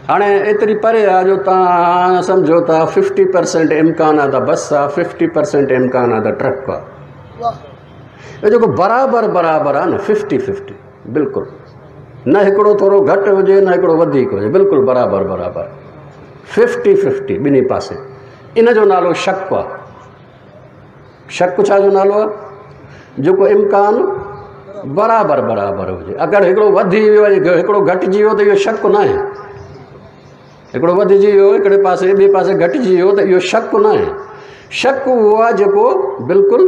هاڻي ايتري پري آ جو توهان سمجهو ٿا 50% امڪان آ ته بس آ، 50% امڪان آ ته ٽرڪ آ. اهو جيڪو برابر برابر آ نه 50 50 بلڪل، نه هڪڙو ٿورو گهٽ هجي نه هڪڙو وڌيڪ هجي، بلڪل برابر برابر 50 50 ٻنهي پاسي، ان جو نالو شڪ آ. شڪ ڇا جو نالو آ؟ جيڪو امڪان برابر برابر هجي. اگر هڪڙو وڌي ويو ۽ هڪڙو گهٽجي ويو ته اهو شڪ نه آهي. هڪڙو وڌجي ويو هڪڙي پاسي ٻئي پاسي گهٽجي ويو ته اهو شڪ نه آهي. شڪ اهو آهي جيڪو بلڪل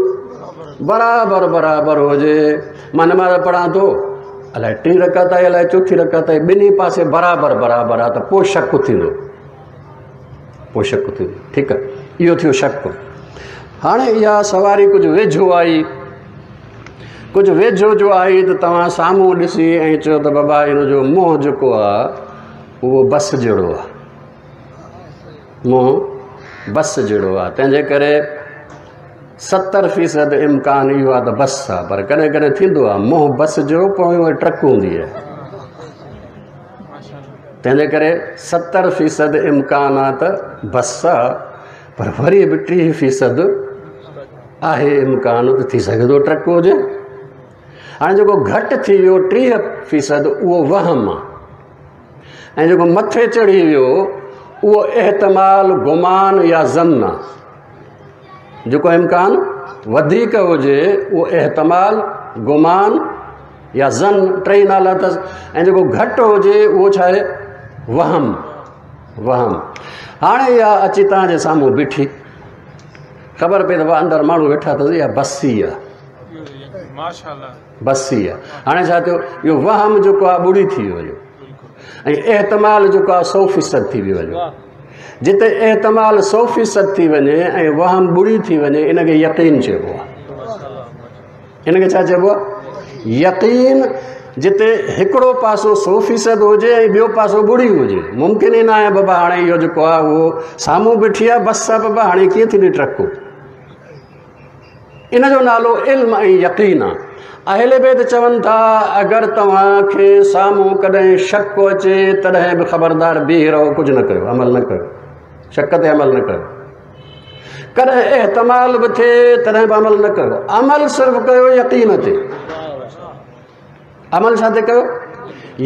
برابر برابر هجي. مان نماز پڙهان ٿو، الائي ٽين رڪعت آهي الائي چوٿين رڪعت آهي، ٻنهي پاسي برابر برابر آهي ته پوء شڪ ٿيندو، پوء شڪ ٿيندو. ٺيڪ آهي، اهو ٿيو شڪ. هاڻي اها سواري ڪجهه ويجهو آئي، ڪجهه ويجهو جو آئي ته توهان سامهون ڏسي ۽ چيو ته بابا ان جو منهن جيڪو آهي اهو بس جهڙو آهي، منهن بس جهڙو آهي، تنهن جي ڪري 70% امڪان اهو آهي ته بس آهي. پر ڪڏهن ڪڏهن ٿيندو آهي منهن بس جهڙو پويون وري ٽرڪ هوندي آهي، تنهن جي ڪري 70% امڪان آهي ته بس آهي، پر وري به 30% آهي امڪان ته ٿي سگهي ٿو ٽرڪ هجي. هاڻي جيڪو گهٽ ٿي ويو 30% اهو وهم آهي، ۽ جيڪو مٿي چڙهي ويو اهو احتمال، گمان يا ظن آهي. جيڪو امڪان وڌيڪ هجي اهو احتمال، گمان يا ظن، ٽئي نالا اٿس. ۽ جيڪو گهٽ هجي اهو ڇا آهي؟ وهم، وهم. هاڻي اها اچي توهان جي سامهون بيٺي، خبر پئي ته اندر ماڻهو ويٺا اٿس، اها بس ئي آهي، بس ئي آهي. هاڻي ڇا ٿيو؟ اهو وهم جيڪو آهي ٻڙي ٿي ويو، ۽ احتمال جيڪو آهي 100% ٿي ويو. جتي احتمال 100% ٿي وڃي ۽ وهم ٻڙي ٿي وڃي، ان کي يقين چئبو آهي. ان کي ڇا چئبو آهي؟ يقين. جتي هڪڙو پاسو 100% هجي ۽ ٻيو پاسو ٻڙي هجي، ممڪن ئي نه آهي بابا هاڻي اهو جيڪو آهي اهو سامهون بيٺي آهي بس آهي بابا، هاڻي ڪيئن ٿيندي ٽرڪ؟ ان جو نالو علم ۽ يقين آهي. اهل بيت چون ٿا اگر توهان کي سامهون ڪڏهن شڪ اچي تڏهن به خبردار بيهي رهو، ڪجهه نه ڪيو، عمل نه ڪيو، شڪ تي عمل نه ڪيو. ڪڏهن احتمال به ٿئي تڏهن به عمل نه ڪيو، عمل صرف ڪيو يقين تي. عمل ڇا تي ڪيو؟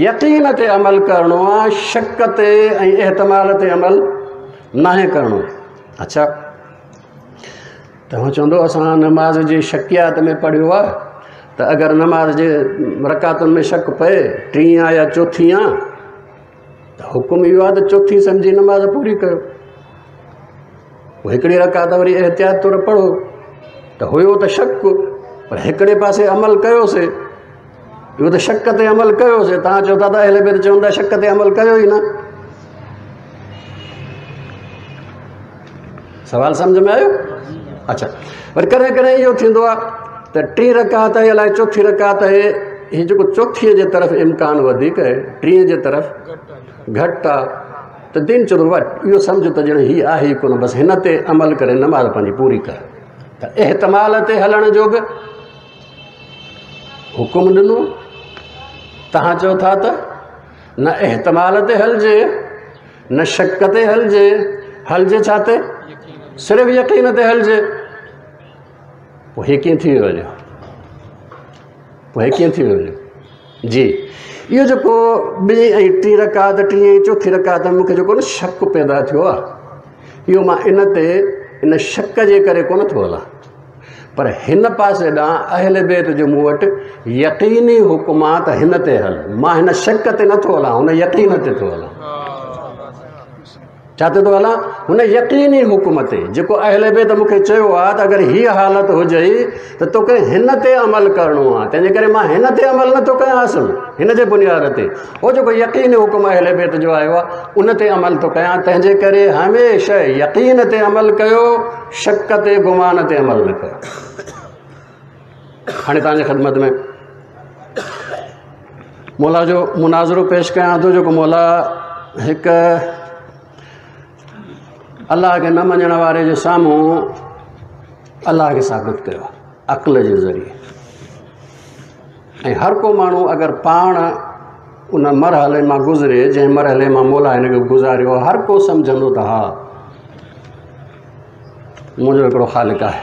يقين تي عمل ڪرڻو آهي، شڪ تي ۽ احتمال تي عمل ناهي ڪرڻو. اڇا، توهان چوندو اسان نماز جي شڪيات ۾ پڙهيو آهي ته اگر نماز جي رڪعتن ۾ شڪ پئي ٽين آ يا چوٿين آ، ته حڪم اهو آهي ته چوٿين سمجهي نماز پوري ڪيو، پوء هڪڙي رڪعت وري احتياط طور پڙهو. ته هيو ته شڪ، پر هڪڙي پاسي عمل ڪيوسي، اهو ته شڪ تي عمل ڪيوسي. توهان چئو ٿا ته اهل بيت چون ٿا شڪ تي عمل ڪيو ئي نه. سوال سمجه ۾ آيو؟ اڇا، وري ڪڏهن ڪڏهن اهو ٿيندو آهي ته ٽين رڪعت آهي الائي چوٿين رڪعت آهي، هي جيڪو چوٿينء جي طرف امڪان وڌيڪ آهي، ٽين جي طرف گهٽ آهي، ته دين چوندو بابا اهو سمجهه ته ڄڻ هي آهي ئي ڪونه، بس هن تي عمل ڪري نماز پنهنجي پوري ڪر. ته احتمال تي هلڻ جو به حڪم ڏنو. توهان چئو ٿا ته نه احتمال تي هلجي نه شڪ تي هلجي، هلجي ڇا تي؟ صرف يقين تي هلجي. پوء هي ڪيئن ٿي ويو وڃي؟ پوء هي ڪيئن ٿي ويو وڃي؟ جي اهو جيڪو ٻي ۽ ٽين رڪعت، ٽين ۽ چوٿين رڪعت ۾ مونکي جيڪو نه شڪ پيدا ٿيو آهي، اهو مان ان تي ان شڪ جي ڪري ڪونه ٿو هلان، پر هن پاسي ڏانهن اهل بيت جو مون وٽ يقيني حڪم آ ته هن تي هل. مان هن شڪ تي نٿو هلان، هن يقين تي ٿو هلان. ڇا تي ٿو هلان؟ هن يقيني حڪم تي، جيڪو اهل بيت مون کي چيو آ ته اگر هيء حالت هجئي ته توکي هن تي عمل ڪرڻو آ، تنهن جي ڪري مان هن تي عمل نٿو ڪيان. اصل هن جي بنياد تي هو جيڪو يقيني حڪم اهل بيت جو آيو آ ان تي عمل ٿو ڪيان. تنهن جي ڪري هميشه يقين تي عمل ڪيو، شڪ تي گمان تي عمل نه ڪيو. هاڻي توهان جي خدمت ۾ مولا جو مناظرو پيش ڪيان ٿو، جيڪو مولا هڪ الله کي نه مڃڻ واري جي سامهون الله کي ثابت ڪيو عقل جي ذريعي. ۽ هر ڪو ماڻهو اگر پاڻ ان مرحلي مان گذري جنهن مرحلي مان مولا هن کي گذاريو، هر ڪو سمجهندو ته ها منهنجو هڪڙو خالق آهي،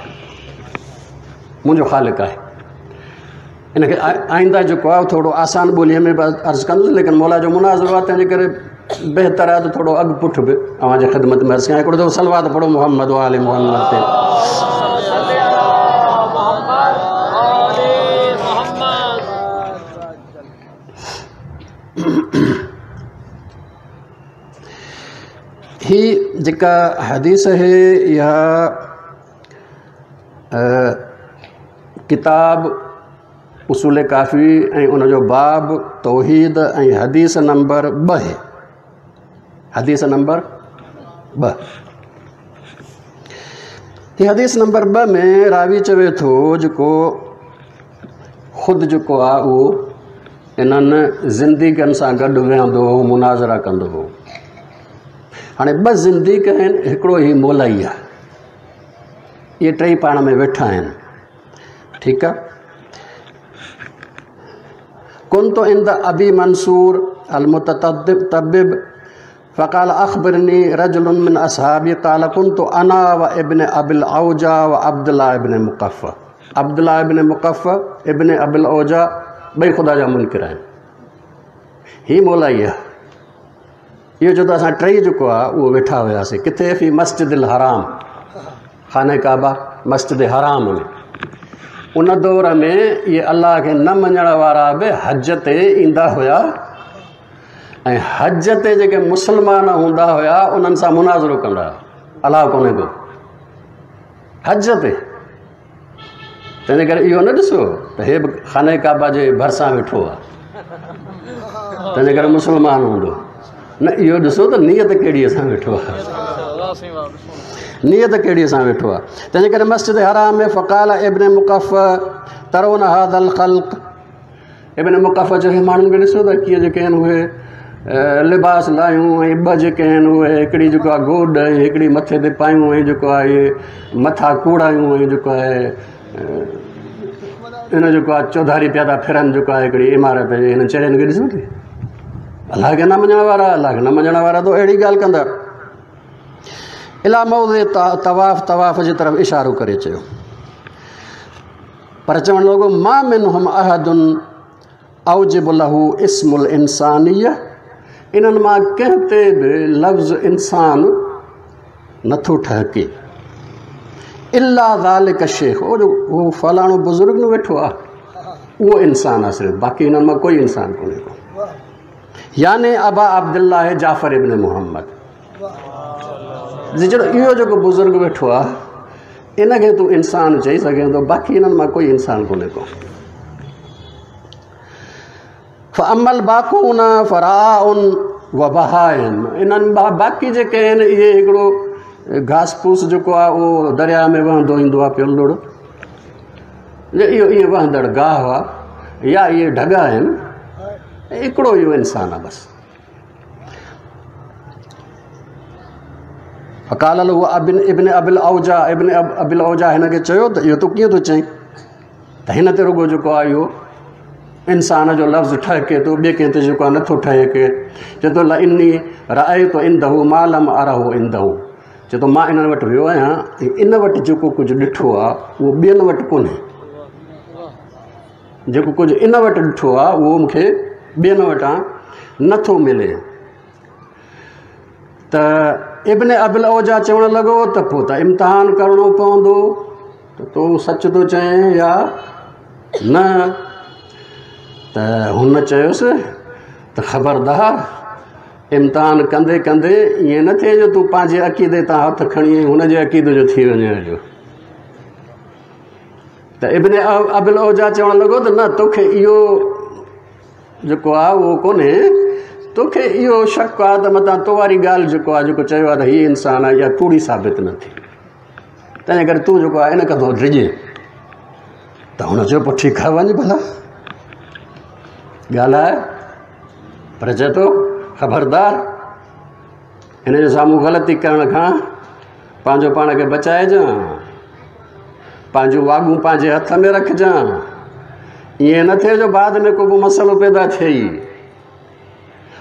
منهنجو خالق آهي. ان کي آئنده جيڪو آهي ٿورو آسان ٻوليء ۾ به عرض ڪندس، ليڪن مولا جو مناظرو آهي تنهن جي ڪري بهتر آهي ته ٿورو اڳ پٺ به اوهان جي خدمت ۾ عرض ڪيان. هڪڙو دفعو صلوات پڙهو محمد وآل محمد تي. هي جيڪا حديث آهي اها ڪتاب اصول ڪافي ۽ ان جو باب توحيد ۽ حديث نمبر 2 آهي. حديث نمبر 2. هي حديث نمبر 2 ۾ راوي چوي ٿو جيڪو خود جيڪو آهي اهو انهن زنديقن سان گڏ ويهندو هو، مناظرا ڪندو هو. هاڻي ٻه زنديق آهن، هڪڙو هي مولائي آهي، اهي ٽئي پاڻ ۾ ويٺا آهن. ٺيڪ آهي. ڪنت عند ابي منصور المتطبب فقال اخبرني رجل من اصحابي قال كنت انا وابن ابي العوجا وعبد الله ابن مقفع. عبد الله ابن مقفع ابن ابي العوجا ٻئي خدا جا منڪر آهن. هي مولائي آهي. اهو چئي ٿو اسان ٽئي جيڪو آهي اهو ويٺا هياسين ڪٿي؟ في مسجد الحرام، خانه ڪعبه مسجد حرام ۾. ان دور ۾ اهي الله کي نه مڃڻ وارا به حج تي ايندا هيا ۽ حج تي جيڪي مسلمان هوندا هيا انهن سان مناظرو ڪندا هيا. الله ڪونهي ڪو حج تي. تنهنجي ڪري اهو نه ڏسو ته هي به خانه ڪعبه جي ڀرسان ويٺو آهي تنهنجي ڪري مسلمان هوندو، نه، اهو ڏسو ته نيت ڪهڙيء سان ويٺو آهي، نيت ڪهڙيء سان ويٺو آهي. تنهنجي ڪري مسجد حرام ۾ فقال ابن مقفع ترون هذا الخلق. ابن مقفع چيو هي ماڻهن کي ڏسو ته ڪيئن جيڪي آهن اهي لباس لاهيون ۽ ٻه جيڪي آهن اهي هڪڙي جيڪو آهي گوڏ ۽ هڪڙي مٿي تي پايون ۽ جيڪو آهي اهي مٿا ڪوڙايون ۽ جيڪو آهي ان جيڪو آهي چوڌاري پيا ٿا ڦرن جيڪو آهي هڪڙي عمارت جي هنن چرين کي ڏسو ٿي. الله کي نه مڃڻ وارا، الله کي نه مڃڻ وارا ته اهڙي ڳالهه ڪندا. اليٰ موضع طواف، طواف جي طرف اشارو ڪري چيو، پر چوڻ لڳو ما منهم احد اوجب له اسم الانسانيه، انهن مان ڪنهن تي به لفظ انسان نٿو ٺهڪي، الا ذلڪ الشيخ، اهو جو اهو فلاڻو بزرگ نه ويٺو آهي اهو انسان آهي صرف، باقي انهن مان ڪوئي انسان ڪونهي ڪو. يعني ابا عبدالله جعفر ابن محمد، اهو جيڪو بزرگ ويٺو آهي ان کي تون انسان چئي سگهين ٿو، باقي انهن مان ڪوئي انسان ڪونهي ڪو. فاما الباقون فرعاء وبهائم، انهن باقي جيڪي آهن اهي هڪڙو گهاس پوس جيڪو آهي اهو درياء ۾ وهندو ايندو آهي پيو لڙ، اهو ائين وهندڙ گاهه آهي يا اهي ڍڳا آهن، هڪڙو اهو انسان آهي بس. فقال له ابن ابي العوجا، ابن ابي العوجا هن کي چيو ته اهو تون ڪيئن ٿو چئين ته هن تي رڳو جيڪو آهي اهو انسان جو لفظ ٺهڪي ٿو، ٻئي ڪنهن تي جيڪو آهي نٿو ٺهڪي. چئي ٿو لاني رايت عنده ما لم اره عنده، چئي ٿو مان انهن وٽ ويو آهيان ۽ ان وٽ جيڪو ڪجهه ڏٺو آهي اهو ٻين وٽ ڪونهي، جيڪو ڪجهه ان وٽ ڏٺو آهي اهو مون کي ٻين وٽان نٿو ملي. ته ابن ابي العوجا چوڻ لڳو ته پوء ته امتحان ڪرڻو پوندو ته تون سچ ٿو چئين يا نه. ته هن چيس ته خبردار، امتحان ڪندي ڪندي ائين نه ٿئي جو تون پنهنجي عقيدي تان هٿ کڻي ۽ هن جي عقيدي جو ٿي وڃين هليو. ته ابن ابي العوجا چوڻ لڳو ته نه، توکي اهو جيڪو آهي اهو ڪونهي، توکي اهو شڪ آهي ته متان تو واري ڳالهه جيڪو آهي جيڪو چيو آهي ته هي انسان آهي اها ڪوڙي ثابت نه ٿئي، تنهن ڪري تون جيڪو آهي ان کان ٿو ڊڄين. ته هن چيو پوء ٺيڪ آهي وڃ ڀلا ڳالهاء، پر چئي ٿو خبردار هن جي سامهون غلطي ڪرڻ کان پنهنجو پاڻ کي بچائجان، پنهنجون واڳون پنهنجي هٿ ۾ رکجان، ائين نه ٿئي جو بعد ۾ ڪو به مسئلو پيدا ٿئي.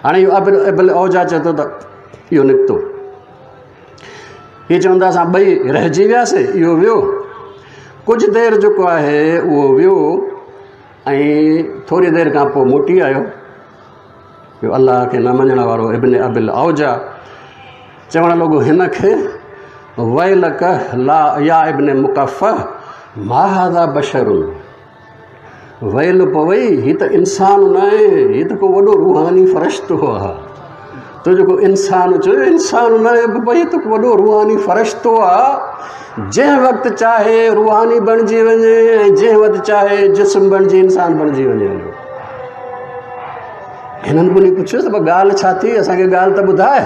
هاڻي اهو ابل عوجا چئي ٿو ته اهو نڪتو. هي چون ٿا اسان ٻئي رهجي وياسي، اهو ويو. ڪجهه دير جيڪو آهي اهو ويو ۽ ٿوري دير کان پوء موٽي آيو. اهو الله کي نه مڃڻ وارو ابن ابي العوجا چوڻ لڳو هن کي ويلڪ لا يا ابن مقفع ما هذا بشر ويل پوئي هي ته انسان نه آهي هي ته ڪو وڏو روحاني فرشتو آهي. تو جيڪو انسان چيو انسان نه آهي بابا هي ته ڪو وڏو روحاني فرشتو آهي. جنهن وقت چاهي روحاني بڻجي وڃي ۽ جنهن وقت چاهي جسم بڻجي انسان بڻجي وڃي. هنن به پڇيو ته ڳالهه ڇا ٿي، اسان کي ڳالهه ته ٻڌاء،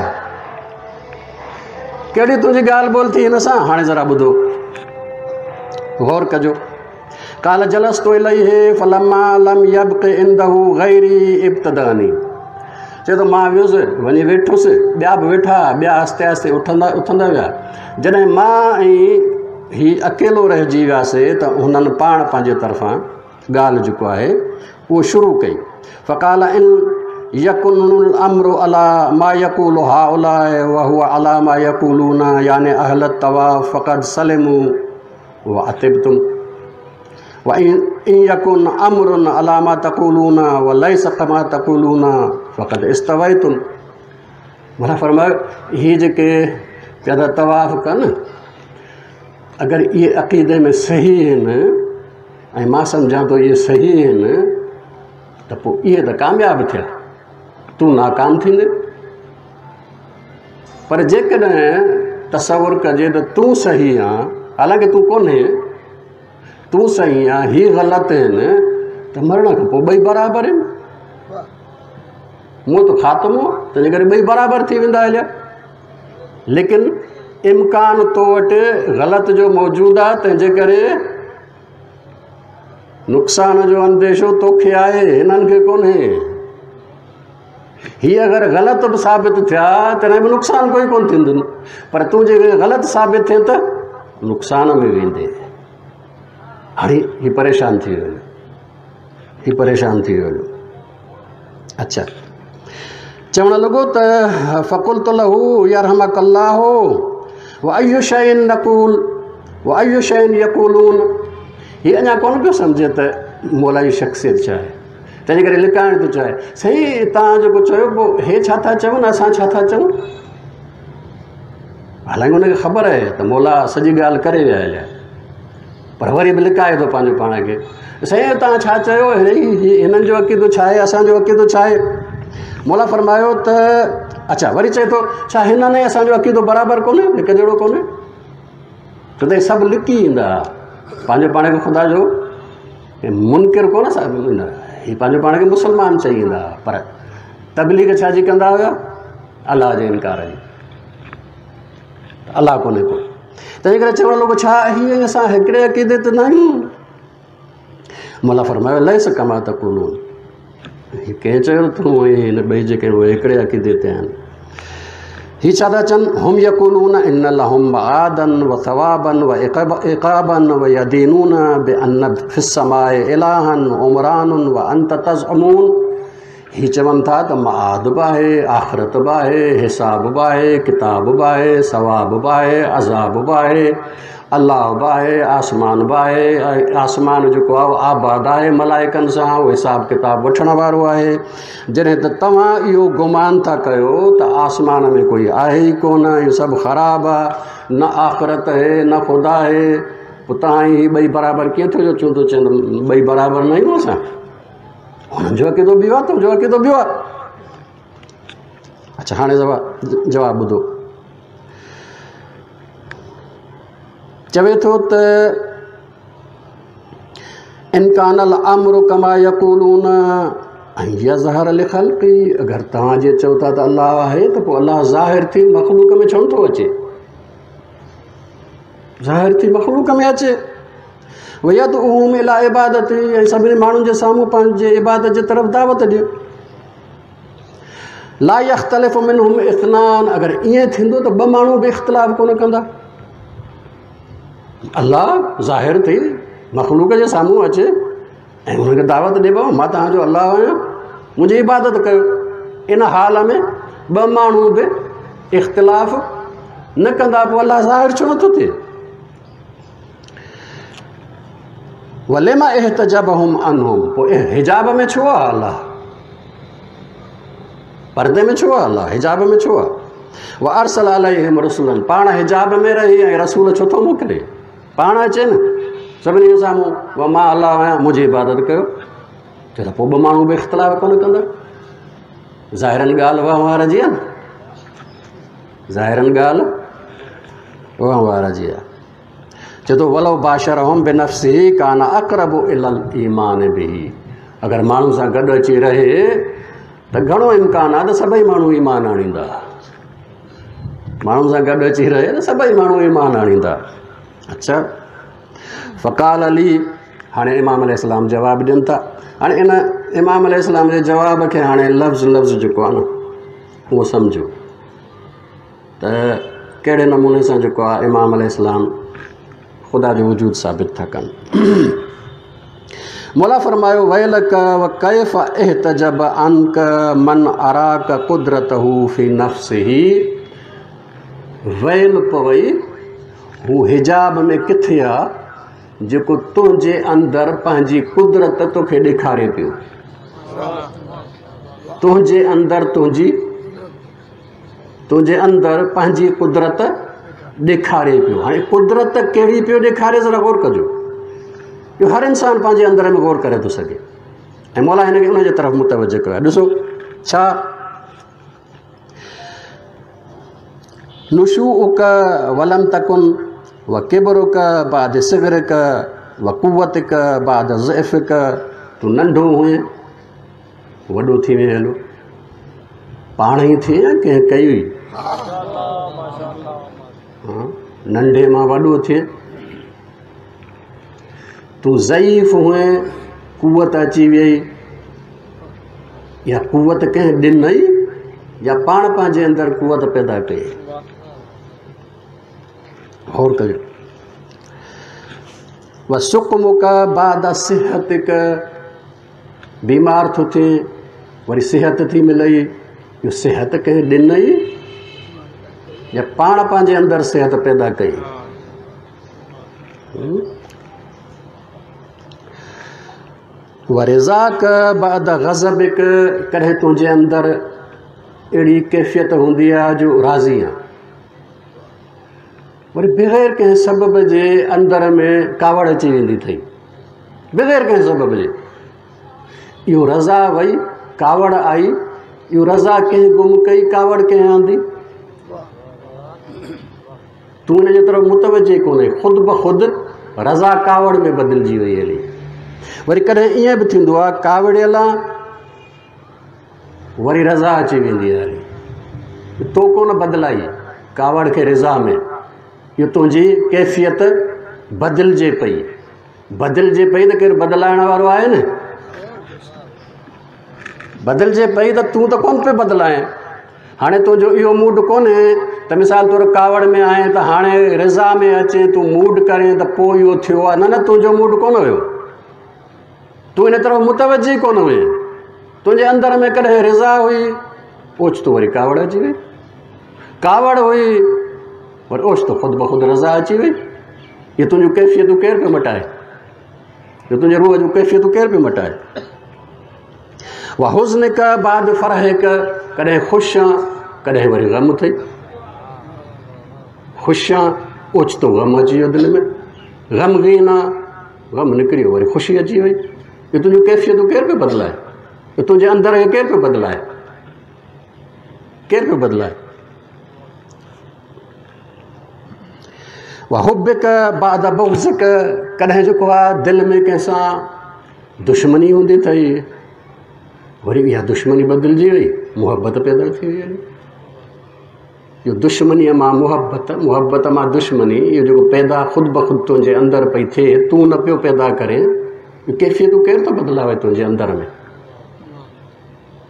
ڪهڙي تنهنجي ڳالهه ٻولهه ٿي هن سان؟ هاڻي ذرا ٻڌو، غور ڪجو. قال جلست اليه فلما لم يبق عنده غيري ابتداني، چئي ٿو مان ويس وڃي ويٺس، ٻيا به ويٺا، ٻيا آهستي آهستي اٿندا ويا. جڏهن مان ۽ هي اڪيلو رهجي وياسي ته هنن پاڻ پنهنجي طرفان ڳالهه جيڪو آهي اهو شروع ڪئي. فقال ان يڪن الامر علي ما يقول هؤلاء وهو علي ما يقولون يعني اهل الطواف فقد سلموا وعتبتم وان يڪن امر علي ما تقولون وليس كما تقولون فقد استويتم. معنيٰ فرمايو هي جيڪي پيا ٿا طواف ڪن اگر اهي عقيدي ۾ صحيح آهن ۽ مان سمجهان ٿو اهي صحيح آهن ته پوء اهي ته ڪامياب ٿيا، تون ناڪام ٿيندين. پر جيڪڏهن تصور ڪجي ته تون صحيح آن، حالانڪه تون ڪونهين، تون صحيح آن هي غلط آهن، ته مرڻ کان پوء ٻئي برابر آهن، موت خاتمو آهي، تنهنجي ڪري ٻئي برابر ٿي ويندا هليا. ليڪن امڪان تو وٽ غلط جو موجود آهي، تنهنجي ڪري نقصان جو انديشو توکي آهي، هنن کي ڪونهي. هي اگر غلط به ثابت ٿيا تڏهن به نقصان ڪوئي ڪونه ٿيندن، پر تون جيڪڏهن غلط ثابت ٿئين ته نقصان ۾ ويندين. هاڻي هي پريشان ٿي ويو، هي پريشان ٿي ويو. اڇا چوڻ لڳو ته فقلت له يرحمک الله واي شيء نقول واي شيء يقولون. هي اڃا ڪونه پيو سمجهي ته مولا جي شخصيت ڇا آهي، تنهنجي ڪري لڪائڻ ٿو چاهي. سائين توهان جيڪو چيو پوء هي ڇا ٿا چون اسان ڇا ٿا چئون؟ حالانڪه هن کي خبر آهي ته مولا سڄي ڳالهه ڪري ويا هليا، پر وري به لڪائي ٿو پنهنجو پاڻ کي. سائين توهان ڇا چيو، هنن جو عقيدو ڇا آهي، اسان جو عقيدو ڇا آهي؟ مولا فرمايو ته اڇا، وري چئي ٿو ڇا هنن ۽ اسان جو عقيدو برابر ڪونهي، هڪ جهڙو ڪونهي؟ ڇو ته سڀ لڪي ايندا، پنهنجو پاڻ کي خدا جو منڪر ڪونه ايندا، هي پنهنجو پاڻ کي مسلمان چئي ايندا، پر تبليغ ڇا جي ڪندا هيا؟ الله جي انڪار جي، الله ڪونهي ڪو. تنهن ڪري چوڻ لڳو ڇا هي ۽ اسان هڪڙي عقيدي تي نه آهيون؟ مولا فرمايو ليس ڪما تقولون. هي ڪنهن چيو تون ۽ هن ٻئي جيڪي اهي هڪڙي عقيدي تي آهن؟ هي ڇا ٿا چون؟ هم يقولون ان لهم معادا وثوابا وعقابا ويدينون بان في السماء الها عمران وانت تزعمون. هي چون ٿا ته معاد به آهي، آخرت به آهي، حساب به آهي، ڪتاب به آهي، ثواب به آهي، عذاب به آهي، الله به آهي، آسمان به آهي، ۽ آسمان جيڪو آهي اهو آباد آهي ملائڪن سان، اهو حساب ڪتاب وٺڻ وارو آهي. جڏهن ته توهان اهو گمان ٿا ڪيو ته آسمان ۾ ڪوئي آهي ئي ڪونه، اهو سڀ خراب آهي، نه آخرت آهي نه خدا آهي، پوء توهان هي ٻئي برابر ڪيئن ٿيو جو چون ٿو چون ٻئي برابر نه آهيون اسان؟ انهن جو عقيدو ٻيو آهي، تنهنجو عقيدو ٻيو آهي. اڇا هاڻي جواب ٻڌو. چوي ٿو ته ان ڪان الامر ڪما يقولون ان يظهر لخلقه، اگر توهان جي چئو ٿا ته الله آهي ته پوء الله ظاهر ٿي مخلوق ۾ ڇو نٿو اچي؟ ظاهر ٿي مخلوق ۾ اچي. ويدعوهم الي عبادته، ۽ سڀني ماڻهن جي سامهون پنهنجي عبادت جي طرف دعوت ڏي. لا يختلف منهم اثنان، اگر ائين ٿيندو ته ٻه ماڻهو به اختلاف ڪونه ڪندا. الله ظاهر ٿي مخلوق جي سامهون اچي ۽ انهن کي دعوت ڏي، بابا مان توهان جو الله آهيان، منهنجي عبادت ڪيو. ان حال ۾ ٻه ماڻهو به اختلاف نه ڪندا، پوء الله ظاهر ڇو نٿو ٿئي؟ ولم احتجبهم عنهم، پوء حجاب ۾ ڇو آهي الله؟ پردي ۾ ڇو آهي الله؟ حجاب ۾ ڇو آهي؟ وارسل عليهم رسلا، پاڻ حجاب ۾ رهي ۽ رسول ڇو ٿو موڪلي؟ پاڻ اچي نه سڀني جي سامهون، مان الله آهيان منهنجي عبادت ڪيو. چئي ته پوء ٻه ماڻهو به اختلاف ڪونه ڪندا. ظاهرن ڳالهه وهنوار جي آهي نه، ظاهرن ڳالهه وهنوار جي آهي. چئي ٿو ولو باشرهم بنفسه ڪان اقرب الي الايمان به، اگر ماڻهن سان گڏ اچي رهي ته گهڻو امڪان آهي ته سڀئي ماڻهو ايمان آڻيندا. ماڻهن سان گڏ اچي رهي ته سڀئي ماڻهو ايمان آڻيندا. اڇا فقال لي، هاڻي امام عليه السلام جواب ڏين ٿا. هاڻي ان امام عليه السلام جي جواب کي هاڻي لفظ لفظ جيڪو آهي نه اهو سمجهو ته ڪهڙي نموني سان جيڪو آهي امام عليه السلام خدا جو وجود ثابت ٿا ڪن. مولا فرمايو ويلڪ وڪيف احتجب عنڪ من اراڪ قدرته في نفسه، ويل پوي هو حجاب ۾ ڪٿي آ جيڪو تنهنجي اندر پنهنجي قدرت توکي ڏيکاري پيو. تنهنجي اندر تنهنجي تنهنجي اندر پنهنجي قدرت ڏيکاري پيو. هاڻي قدرت ڪهڙي پيو ڏيکاري ذرا غور ڪجو. اهو هر انسان پنهنجي اندر ۾ غور ڪري ٿو سگهي ۽ مولا هن کي ان جي طرف متوجه ڪيو آهي. ڏسو ڇا نشوءک ولم تڪن وڪبرک بعد صغرک وقوتک بعد ضعفک، تون ننڍو هئين وڏو ٿي وئين، هلو پاڻ ئي ٿئي يا ڪنهن ڪئي هئي؟ ننڍي مان وڏو ٿئي، تون ضعيف هئين قوت اچي وئي، اها قوت ڪنهن ڏنئي يا پاڻ پنهنجي اندر قوت پيدا ڪئي؟ غور ڪجو. وسقمک بعد صحتک، بيمار ٿو ٿئين وري صحت ٿي ملئي، اهو صحت ڪنهن ڏنئي يا پاڻ پنهنجي اندر صحت پيدا ڪئي؟ ورضاڪ بعد غضبڪ، ڪڏهن تنهنجي اندر اهڙي ڪيفيت هوندي آهي جو راضي آهيان، وري بغير ڪنهن سبب جي اندر ۾ ڪاوڙ اچي ويندي اٿئي، بغير ڪنهن سبب جي. اهو رضا وئي، ڪاوڙ آئي، اهو رضا ڪنهن گم ڪئي، ڪاوڙ ڪنهن آندي؟ تون ان جي طرف متوجه ڪونهي، خود بخود رضا ڪاوڙ ۾ بدلجي وئي هلي. وري ڪڏهن ائين به ٿيندو آهي ڪاوڙيل آن وري رضا اچي ويندي آهي هلي، تو ڪونه بدلائي ڪاوڙ کي رضا ۾، اهو تنهنجي ڪيفيت بدلجي پئي، بدلجي پئي ته ڪير بدلائڻ وارو آهي نه، بدلجي پئي ته تون ته ڪونه پيو بدلائين. هاڻي تنهنجو اهو موڊ ڪونهي ته مثال طور ڪاوڙ ۾ آهين ته هاڻي رضا ۾ اچين تون موڊ ڪرين ته پوء اهو ٿيو آهي، نه نه تنهنجو موڊ ڪونه هيو، تون ان طرف متوجه ئي ڪونه هئين، تنهنجي اندر ۾ ڪڏهن رضا هئي اوچتو وري ڪاوڙ اچي وئي، ڪاوڙ هئي وري اوچتو خود بخود رضا اچي وئي. اهي تنهنجون ڪيفيتون ڪير پيو مٽائي؟ اهي تنهنجي روح جون ڪيفيتون ڪير پيو مٽائي؟ وحزنک بعد فرحک، ڪڏهن خوش آن ڪڏهن وري غم اٿئي، خوش آن اوچتو غم اچي ويو دل ۾، غمگين آن غم نڪري ويو وري خوشي اچي وئي. اهي تنهنجون ڪيفيتون ڪير پيو بدلائي؟ اهي تنهنجي اندر کي ڪير پيو بدلائي؟ ڪير پيو بدلائي؟ وحبک بعد بغضک، ڪڏهن جيڪو آهي دل ۾ ڪنهن سان دشمني هوندي اٿئي، وري اها دشمني بدلجي وئي، محبت پيدا ٿي وئي. اهو دشمنيء مان محبت، محبت مان دشمني، اهو جيڪو پيدا خود بخود تنهنجي اندر پئي ٿئي، تون نه پيو پيدا ڪرين، اهو ڪيفيتون ڪير ٿو بدلاوي تنهنجي اندر ۾؟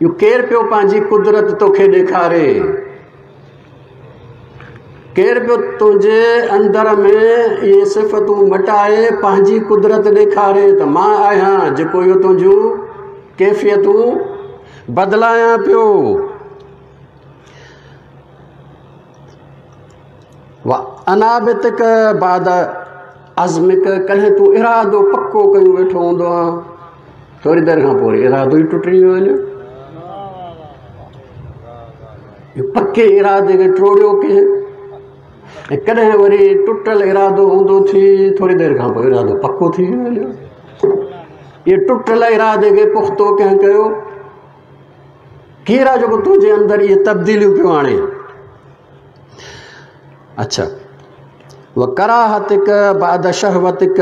اهو ڪير پيو پنهنجي قدرت توکي ڏيکاري؟ ڪير پيو تنهنجي اندر ۾ اهي صفتون مٽائي پنهنجي قدرت ڏيکاري ته مان آهيان جيڪو اهو تنهنجون ڪيفيتون بدلايان پيو. وانابتڪ بعد عزمڪ، ڪڏهن تون ارادو پڪو ڪيون ويٺو هوندو آهين، ٿوري دير کان پوء ارادو ئي ٽٽي ويو وڃي. پڪي ارادي کي ٽوڙيو ڪنهن؟ ۽ ڪڏهن وري ٽٽل ارادو هوندو ٿي، ٿوري دير کان پوء ارادو پڪو ٿي ويو هليو. اهي ٽٽل ارادي کي پختو ڪنهن ڪيو؟ ڪير آهي جيڪو تنهنجي اندر اهي تبديليون پيو آڻي؟ اڇا، وڪراهتڪ بعد شهوتڪ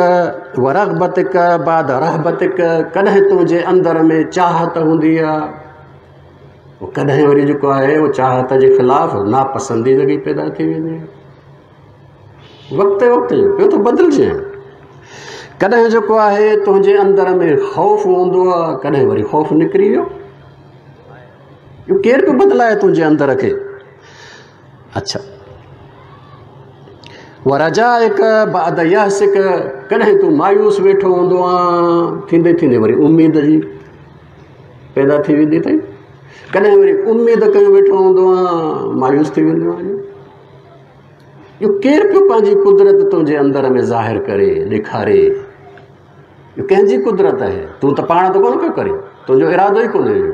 ورغبتڪ بعد رهبتڪ، ڪڏهن تنهنجي اندر ۾ چاهت هوندي آهي، ڪڏهن وري جيڪو آهي اهو چاهت جي خلاف ناپسنديدگي پيدا ٿي ويندي آهي. وقت وقت جو پيو ٿو بدلجي. ڪڏهن جيڪو آهي تنهنجي اندر ۾ خوف هوندو آهي، ڪڏهن وري خوف نڪري ويو. اهو ڪير پيو بدلائي تنهنجي اندر کي؟ اڇا، ورجائڪ بعد يأسڪ، ڪڏهن تون مايوس ويٺو هوندو آهين، ٿيندي ٿيندي وري اميد جي پيدا ٿي ويندي اٿئي. ڪڏهن وري اميد ڪيون ويٺو هوندو آهين، مايوس ٿي ويندو آهين. اهو ڪير پيو پنهنجي قدرت تنهنجي اندر ۾ ظاهر ڪري ڏيکاري؟ اهو ڪنهن جي قدرت آهي؟ تون ته پاڻ ته ڪونه پيو ڪرين، تنهنجو ارادو ئي ڪونهي اهو،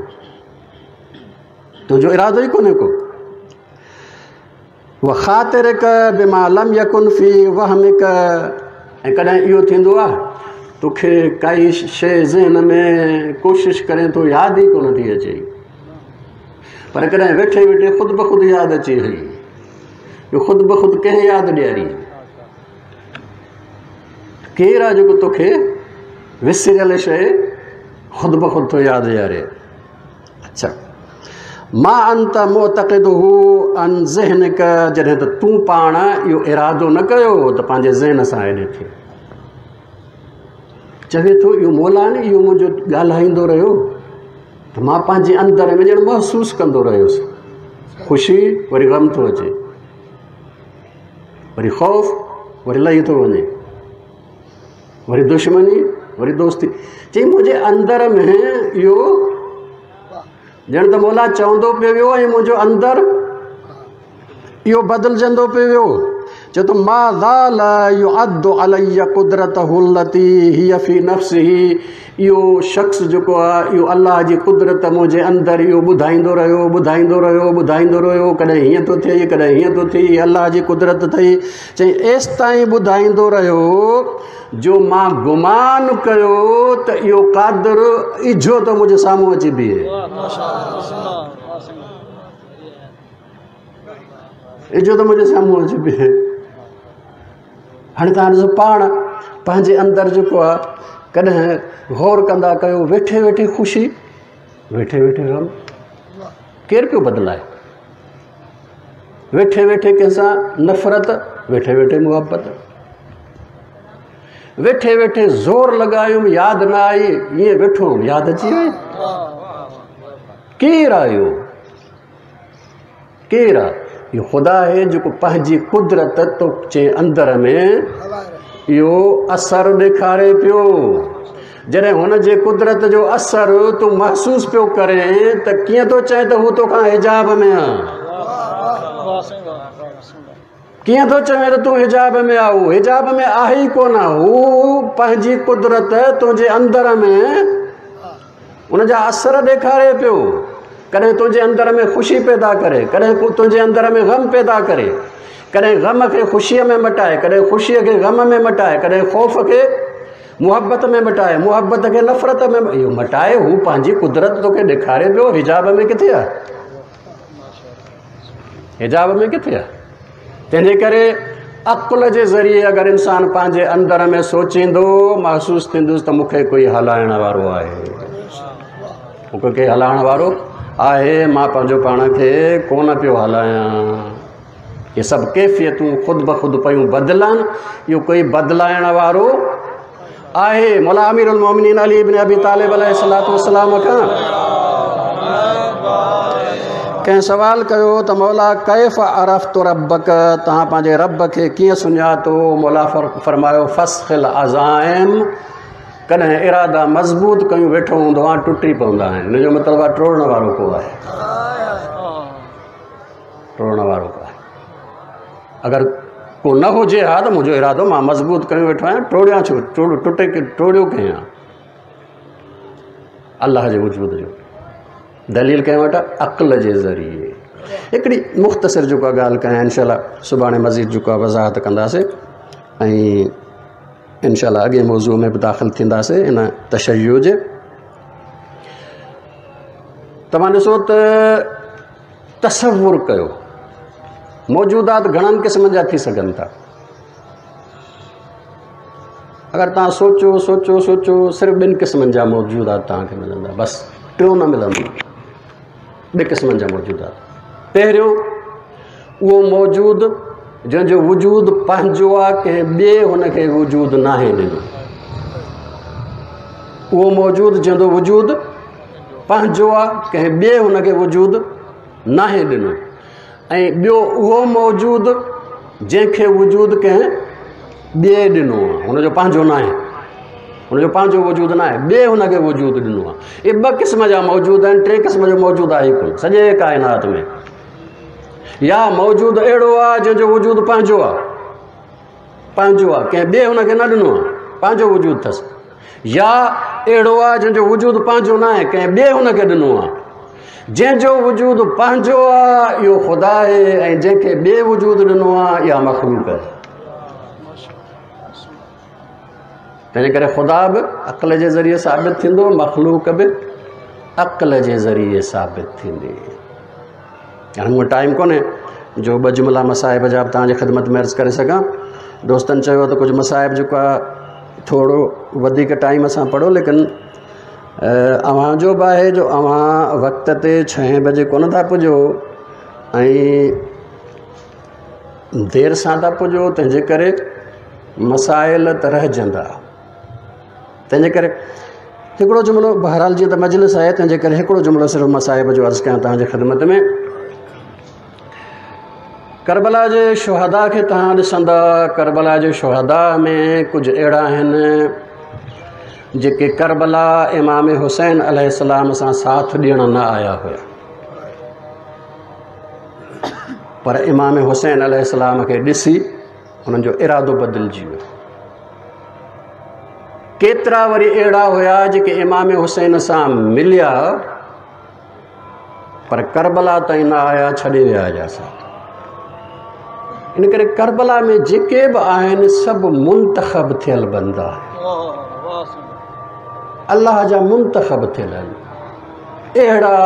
تنهنجو ارادو ئي ڪونهي ڪو. وخاطرڪ بما لم يڪن في وهمڪ، ۽ ڪڏهن اهو ٿيندو آهي توکي ڪائي شيء ذهن ۾ ڪوشش ڪرين ٿو ياد ئي ڪونه ٿي اچي، پر ڪڏهن ويٺي ويٺي خود بخود ياد اچي وئي. اهو خود بخود ڪنهن ياد ڏياري؟ ڪير آهي جيڪو توکي وسريل شيء خود بخود ٿو ياد ڏياري؟ اڇا، ما انت معتقده عن ذهنڪ، جڏهن ته تون پاڻ اهو ارادو نه ڪيو ته پنهنجي ذهن سان ايڏي ٿئي. چوي ٿو اهو مولا نه اهو منهنجو ڳالهائيندو رهيو ته مان پنهنجي اندر ۾ ڄڻ محسوس ڪندو رهيس. خوشي وري غم ٿو اچي، وري خوف وري لهي ٿو وڃي، وري دشمني وري دوستي. چئي منهنجي اندر ۾ اهو ڄڻ ته مولا چوندو پيو ويو ۽ منهنجو اندر اهو بدلجندو پيو ويو. چئي ٿو ما زال يعد علي قدرته التي هي في نفسه، اهو شخص جيڪو آهي اهو الله جي قدرت منهنجي اندر اهو ٻڌائيندو رهيو ٻڌائيندو رهيو ٻڌائيندو رهيو، ڪڏهن هيئن ٿو ٿئي ڪڏهن هيئن ٿو ٿئي، الله جي قدرت اٿئي. چئي ايستائين ٻڌائيندو رهيو جو مان گمان ڪيو ته اهو قادر اجهو ٿو منهنجي سامهون اچي بيهي، اجهو ته منهنجي سامهون اچي بيهي. هاڻي توهان ڏسو پاڻ پنهنجي اندر جيڪو آهي ڪڏهن غور ڪندا ڪيو، ويٺي ويٺي خوشي ويٺي ويٺي غم، ڪير پيو بدلائي؟ ويٺي ويٺي ڪنهن سان نفرت، ويٺي ويٺي محبت، ويٺي ويٺي زور لڳايم ياد نه آئي، ائين ويٺو هوم ياد اچي وئي. ڪير آيو؟ ڪير آ؟ اهو خدا آهي جيڪو پنهنجي قدرت توجي اندر ۾ اهو اثر ڏيکاري پيو. جڏهن هن جي قدرت جو اثر تون محسوس پيو ڪرين ته ڪيئن ٿو چئين ته هو توکان حجاب ۾ آ؟ ڪيئن ٿو چوين ته تون حجاب ۾ آ؟ هو حجاب ۾ آهي ئي ڪونه. هو پنهنجي قدرت تنهنجي اندر ۾ ان جا اثر ڏيکاري پيو. ڪڏهن تنهنجي اندر ۾ خوشي پيدا ڪري، ڪڏهن تنهنجي اندر ۾ غم پيدا ڪري، ڪڏهن غم کي خوشيء ۾ مٽائي، ڪڏهن خوشيء کي غم ۾ مٽائي، ڪڏهن خوف کي محبت ۾ مٽائي، محبت کي نفرت ۾ اهو مٽائي. هو پنهنجي قدرت توکي ڏيکاري پيو. حجاب ۾ ڪٿي آهي؟ حجاب ۾ ڪٿي آهي؟ تنهنجي ڪري عقل جي ذريعي اگر انسان پنهنجي اندر ۾ سوچيندو، محسوس ٿيندس ته مون کي ڪوئي هلائڻ وارو آهي، مون کي ڪوئي هلائڻ وارو آهي، مان پنهنجو پاڻ کي ڪونه پيو هلايان. اهي سڀ ڪيفيتون خود بخود پيون بدلن، اهو ڪوئي بدلائڻ وارو آهي. مولا امير المومنين علي ابن ابي طالب عليه الصلوة والسلام کان ڪنهن سوال ڪيو ته مولا ڪيف عرفت ربک، توهان پنهنجي رب کي ڪيئن سڃاتو؟ مولا فرمايو فسخ العزائم، ڪڏهن ارادا مضبوط ڪيون ويٺو هوندو آهيان، ٽٽي پوندا آهن. ان جو مطلب آهي ٽوڙڻ وارو ڪو آهي، ٽوڙڻ وارو ڪو آهي. اگر ڪو نه هجي ها ته منهنجو ارادو مان مضبوط ڪيون ويٺو آهيان، ٽوڙيان ڇو؟ ٽٽي ٽوڙيو ڪنهن آ؟ الله جي وجود جو دليل ڪنهن وٽ؟ عقل جي ذريعي. هڪڙي مختصر جيڪو ڳالهه ڪيان، انشاء الله سڀاڻي مزيد جيڪو وضاحت ڪنداسين ۽ انشاء الله اڳئين موضوع ۾ به داخل ٿينداسين ان تشيع جي. توهان ڏسو ته تصور ڪيو، موجودات گهڻن قسمن جا ٿي سگهن ٿا. اگر توهان سوچو سوچو سوچو، صرف ٻن قسمن جا موجودات توهان کي ملندا، بس ٽيون نه ملندو. ٻه قسمن جا موجودات. پهريون اهو موجود جنهن جو وجود پنهنجو آهي، ڪنهن ٻئي هن کي وجود ناهي ڏنو. اهو موجود جنهن جو وجود پنهنجو آهي، ڪنهن ٻئي هن کي وجود ناهي ڏنو. ۽ ٻيو اهو موجود جنهن کي وجود ڪنهن ٻئي ڏنو آهي، هن جو پنهنجو ناهي، هن جو پنهنجو وجود ناهي، ٻئي هن کي وجود ڏنو آهي. اهي ٻه قسم جا موجود آهن، ٽي قسم جو موجود آهي ڪونه سڄي ڪائنات ۾. يا موجود اهڙو آهي جنهن جو وجود پنهنجو آهي، پنهنجو آهي، ڪنهن ٻئي هن کي نه ڏنو آهي، پنهنجو وجود اٿس. يا اهڙو آهي جنهن جو وجود پنهنجو نه آهي، ڪنهن ٻئي هن کي ڏنو آهي. جنهن جو وجود پنهنجو آهي اهو خدا آهي، ۽ جنهن کي ٻئي وجود ڏنو آهي اها مخلوق آهي. تنهن ڪري خدا به عقل جي ذريعي ثابت ٿيندو، مخلوق به عقل جي ذريعي ثابت ٿيندي. هاڻي مون وٽ ٽائيم ڪونهي جو ٻه جملا مصائب جا به توهان جي خدمت ۾ عرض ڪري سگهان. دوستن چيو ته ڪجهه مصائب جيڪو آهي ٿورو وڌيڪ ٽائيم سان پڙهو، ليڪن اوهان جو به آهي جو اوهان وقت تي ڇهين بجي ڪونه ٿا پڄو ۽ دير سان ٿا پڄو، تنهن جي ڪري مسائل ته رهجندا. تنهن جي ڪري هڪڙو جملو بهرحال جيئن ته مجلس آهي تنهن جي ڪري هڪڙو جملو صرف مصائب جو عرض ڪيان توهان جي خدمت ۾. ڪربلا جي شهدا کي توهان ڏسندا، ڪربلا جي شهدا ۾ ڪجهه اهڙا آهن جيڪي ڪربلا امام حسين عليه السلام سان ساٿ ڏيڻ نه آيا هيا، پر امام حسين عليه السلام کي ڏسي انهن جو ارادو بدلجي ويو. ڪيترا وري اهڙا هيا جيڪي امام حسين سان مليا پر ڪربلا تائين نه آيا، ڇڏي ويا هيا ساٿ. ان ڪري ڪربلا ۾ جيڪي به آهن سڀ منتخب ٿيل بندا آهن، الله جا منتخب ٿيل آهن. اهڙا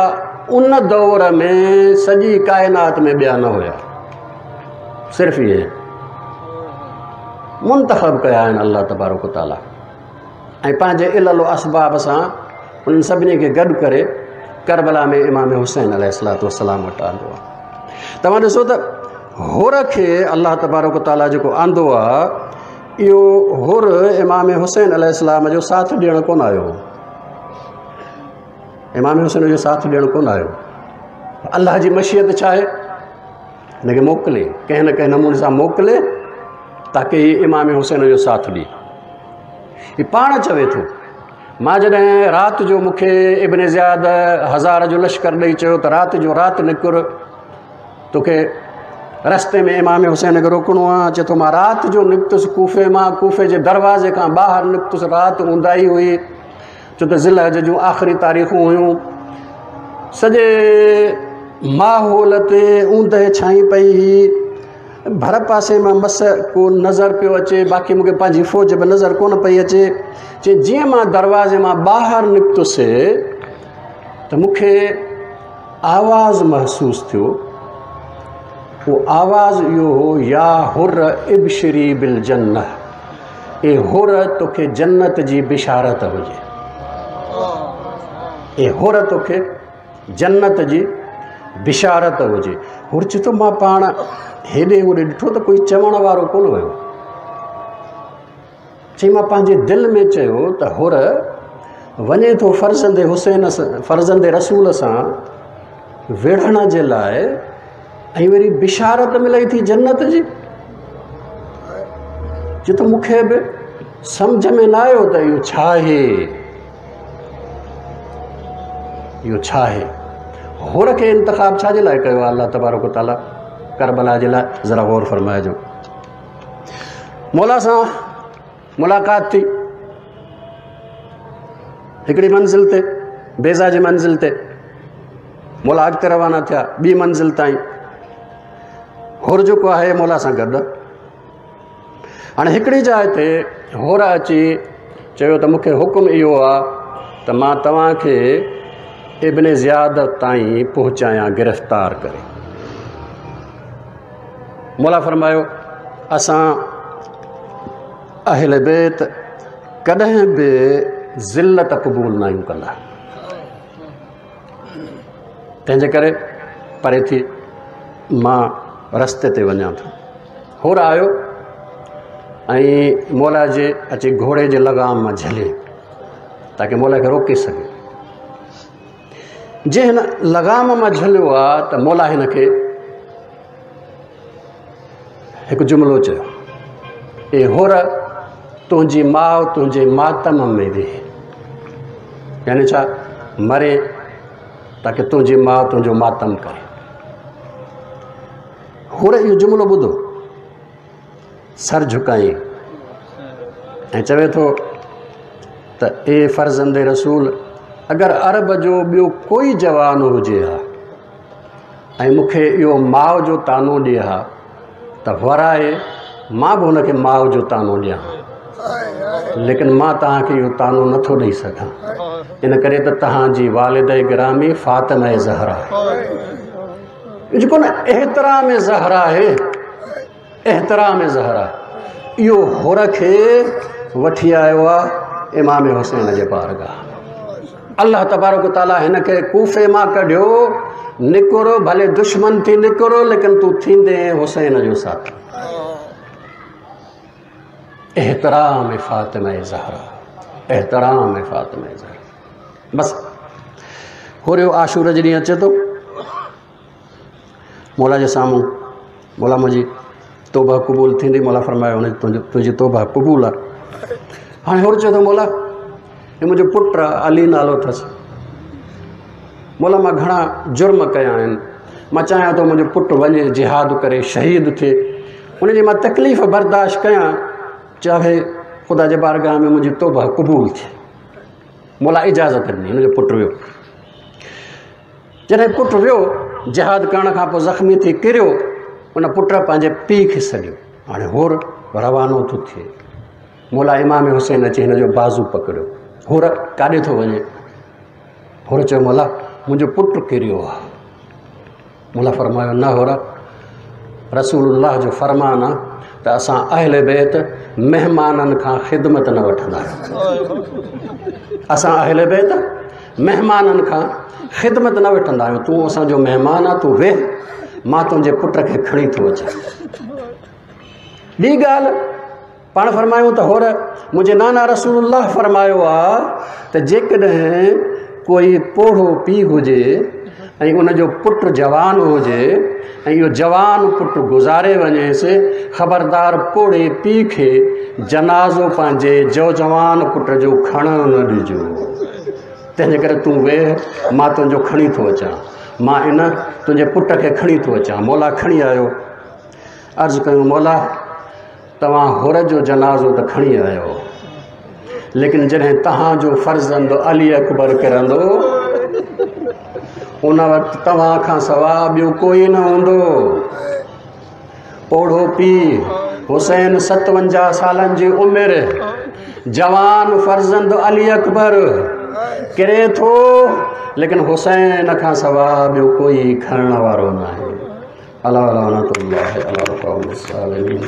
ان دور ۾ سڄي ڪائنات ۾ ٻيا نه هيا، صرف اهي منتخب ڪيا آهن الله تبارڪ وتعاليٰ، ۽ پنهنجي علل و اسباب سان انهن سڀني کي گڏ ڪري ڪربلا ۾ امام حسين عليه الصلوة والسلام وٽ آندو آهي. توهان ڏسو ته حر کي الله تبارڪ وتعاليٰ جيڪو آندو آهي، اهو حر امام حسين عليه السلام جو ساٿ ڏيڻ ڪونه آيو هو، امام حسين جو ساٿ ڏيڻ ڪونه آيو. الله جي مشيت ڇا آهي؟ هن کي موڪلي، ڪنهن نه ڪنهن نموني سان موڪلي تاڪه هي امام حسين جو ساٿ ڏئي. هي پاڻ چوي ٿو، مان جڏهن رات جو مون کي ابن زياد 1000 جو لشڪر ڏئي چيو ته رات جو رات نڪر، توکي رستي ۾ امام حسين کي روڪڻو آ. چئي ٿو مان رات جو نڪتس ڪوفي مان، ڪوفي جي دروازي کان ٻاهر نڪتس، رات اونداهي هئي، ڇو ته ذوالحج جون آخري تاريخون هيون، سڄي ماحول تي اوندهه ڇائي پئي هئي، ڀر پاسي مان مس ڪو نظر پيو اچي، باقي مون کي پنهنجي فوج به نظر ڪونه پئي اچي. چي جيئن مان دروازي مان ٻاهر نڪتس ته مون کي آواز محسوس ٿيو، اهو آواز اهو هو، يا حر ابشري بالجنه، اي حر توکي جنت جي بشارت هجي، اي حر توکي جنت جي بشارت هجي. حر چئي ٿو مان پاڻ هيڏي هوڏي ڏٺو ته ڪوئي چوڻ وارو ڪونه هيو. چي مان پنهنجي دل ۾ چيو ته حر وڃي ٿو فرزند حسين سان، فرزند رسول سان وڙهڻ جي لاء ۽ وري بشارت ملئي ٿي جنت جي. چي ته مون کي به سمجهه ۾ نه آيو ته اهو ڇا آهي، اهو ڇا آهي. حر کي انتخاب ڇا جي لاء ڪيو آهي الله تبارڪ وتعاليٰ ڪربلا جي لاء؟ ذرا غور فرمائجو. مولا سان ملاقات ٿي هڪڙي منزل تي، بيضا جي منزل تي. مولا اڳتي روانا ٿيا ٻي منزل تائين. حر جيڪو آهي مولا سان گڏ. هاڻي هڪڙي جاء تي حر اچي چيو ته مون کي حڪم اهو آ ته مان توهان کي ابن زياد تائين پهچايان گرفتار ڪري. مولا فرمايو اسان اهل بيت ڪڏهن به ذلت قبول نه آهيون ڪندا، تنهن جي ڪري پري ٿي مان رستي تي وڃان ٿو. حر آيو ۽ مولا جي اچي گهوڙي جي لغام مان جهلي تاڪه مولا کي روڪي سگهي. جنهن هن لغام مان جهليو آ ته مولا هن کي هڪ جملو چيو، اي حر تنهنجي ماء تنهنجي ماتم ۾ ويهي، يعني ڇا مري تاڪه تنهنجي ماء تنهنجو ماتم ڪري. حر اهو جملو ٻڌو، سر جهڪائين ۽ چوي ٿو ته اي فرزند رسول، اگر عرب جو ٻيو ڪوئي جوان هجي ها ۽ مون کي اهو ماء جو طعنو ڏئي ها ته ورائي مان به هن کي ماء جو طعنو ڏيان ها، ليڪن مان توهان کي اهو طعنو نٿو ڏئي سگهان، ان ڪري ته توهان جي والده گرامي فاطمه زهرا آهي. جيڪو نه احترام زهرا آهي، احترام زهرا اهو حر کي وٺي آيو آهي امام حسين جي بارگاهه. الله تبارڪ وتعاليٰ هن کي ڪوفي مان ڪڍيو، نڪر ڀلي دشمن ٿي نڪر، ليڪن تون ٿيندين حسين جو ساٿي. احترام فاطمه زهرا، احترام فاطمه زهرا. بس هوريو عاشور جي ڏينهن اچي ٿو مولا جي سامهون، مولا منهنجي توبه قبول ٿيندي؟ مولا فرمايو هن تنهنجي توبه قبول آهي. هاڻي هور چئي ٿو مولا هي منهنجو پٽ آهي، علي نالو اٿس، مولا مان گهڻا جرم ڪيا آهن، مان چاهيان ٿو منهنجو پٽ وڃي جهاد ڪري شهيد ٿئي، ان جي مان تڪليف برداشت ڪيان، چاهي خدا جي بارگاهه ۾ منهنجي توبه قبول ٿئي. مولا اجازت ڏني، هن جو پٽ ويو. جڏهن پٽ ويو جهاد ڪرڻ کان پوء زخمي ٿي ڪريو، ان پٽ پنهنجي پيء کي سڏيو. هاڻي حر روانو ٿو ٿئي، مولا امام حسين اچي هن جو بازو پڪڙيو، حر ڪاڏي ٿو وڃي؟ حر چيو مولا منهنجو پٽ ڪريو آهي. مولا فرمايو نه حر، رسول الله جو فرمان آ ته اسان اهل بيت مهمانن کان خدمت نه وٺندا آهيون. اسان اهل بيت مهمانن کان خدمت نه وٺندا آهيون. تون اسان جو مهمان آ، تون ويهه، مان تنهنجي پٽ کي کڻي ٿو اچان. ٻي ڳالهه پاڻ فرمايو ته هور منهنجي نانا رسول الله فرمايو آ ته جيڪڏهن ڪوئي پوڙهو پيء هجي ۽ ان جو پٽ جوان هجي ۽ اهو جوان پٽ گذاري وڃيس، خبردار پوڙهي پيء کي جنازو پنهنجي جوجوان پٽ جو کڻڻ نه ڏجو. تنهنجي ڪري تون ويهه، مان تنهنجو کڻي ٿو اچان، مان ان تنهنجي پٽ کي کڻي ٿو اچان. مولا کڻي آيو، عرض ڪيو مولا توهان حر جو جنازو ته کڻي آيو، ليڪن جڏهن توهان جو فرزند علي اڪبر ڪرندو ان وقت توهان کان سوا ٻيو ڪوئي نه هوندو. پوڙهو پيء حسين 57 سالن جي عمر، جوان فرزند علي اڪبر ڪري ٿو، ليڪن حسين کان سوا ٻيو ڪوئي کڻڻ وارو ناهي. الا لعنت الله علي القوم الظالمين.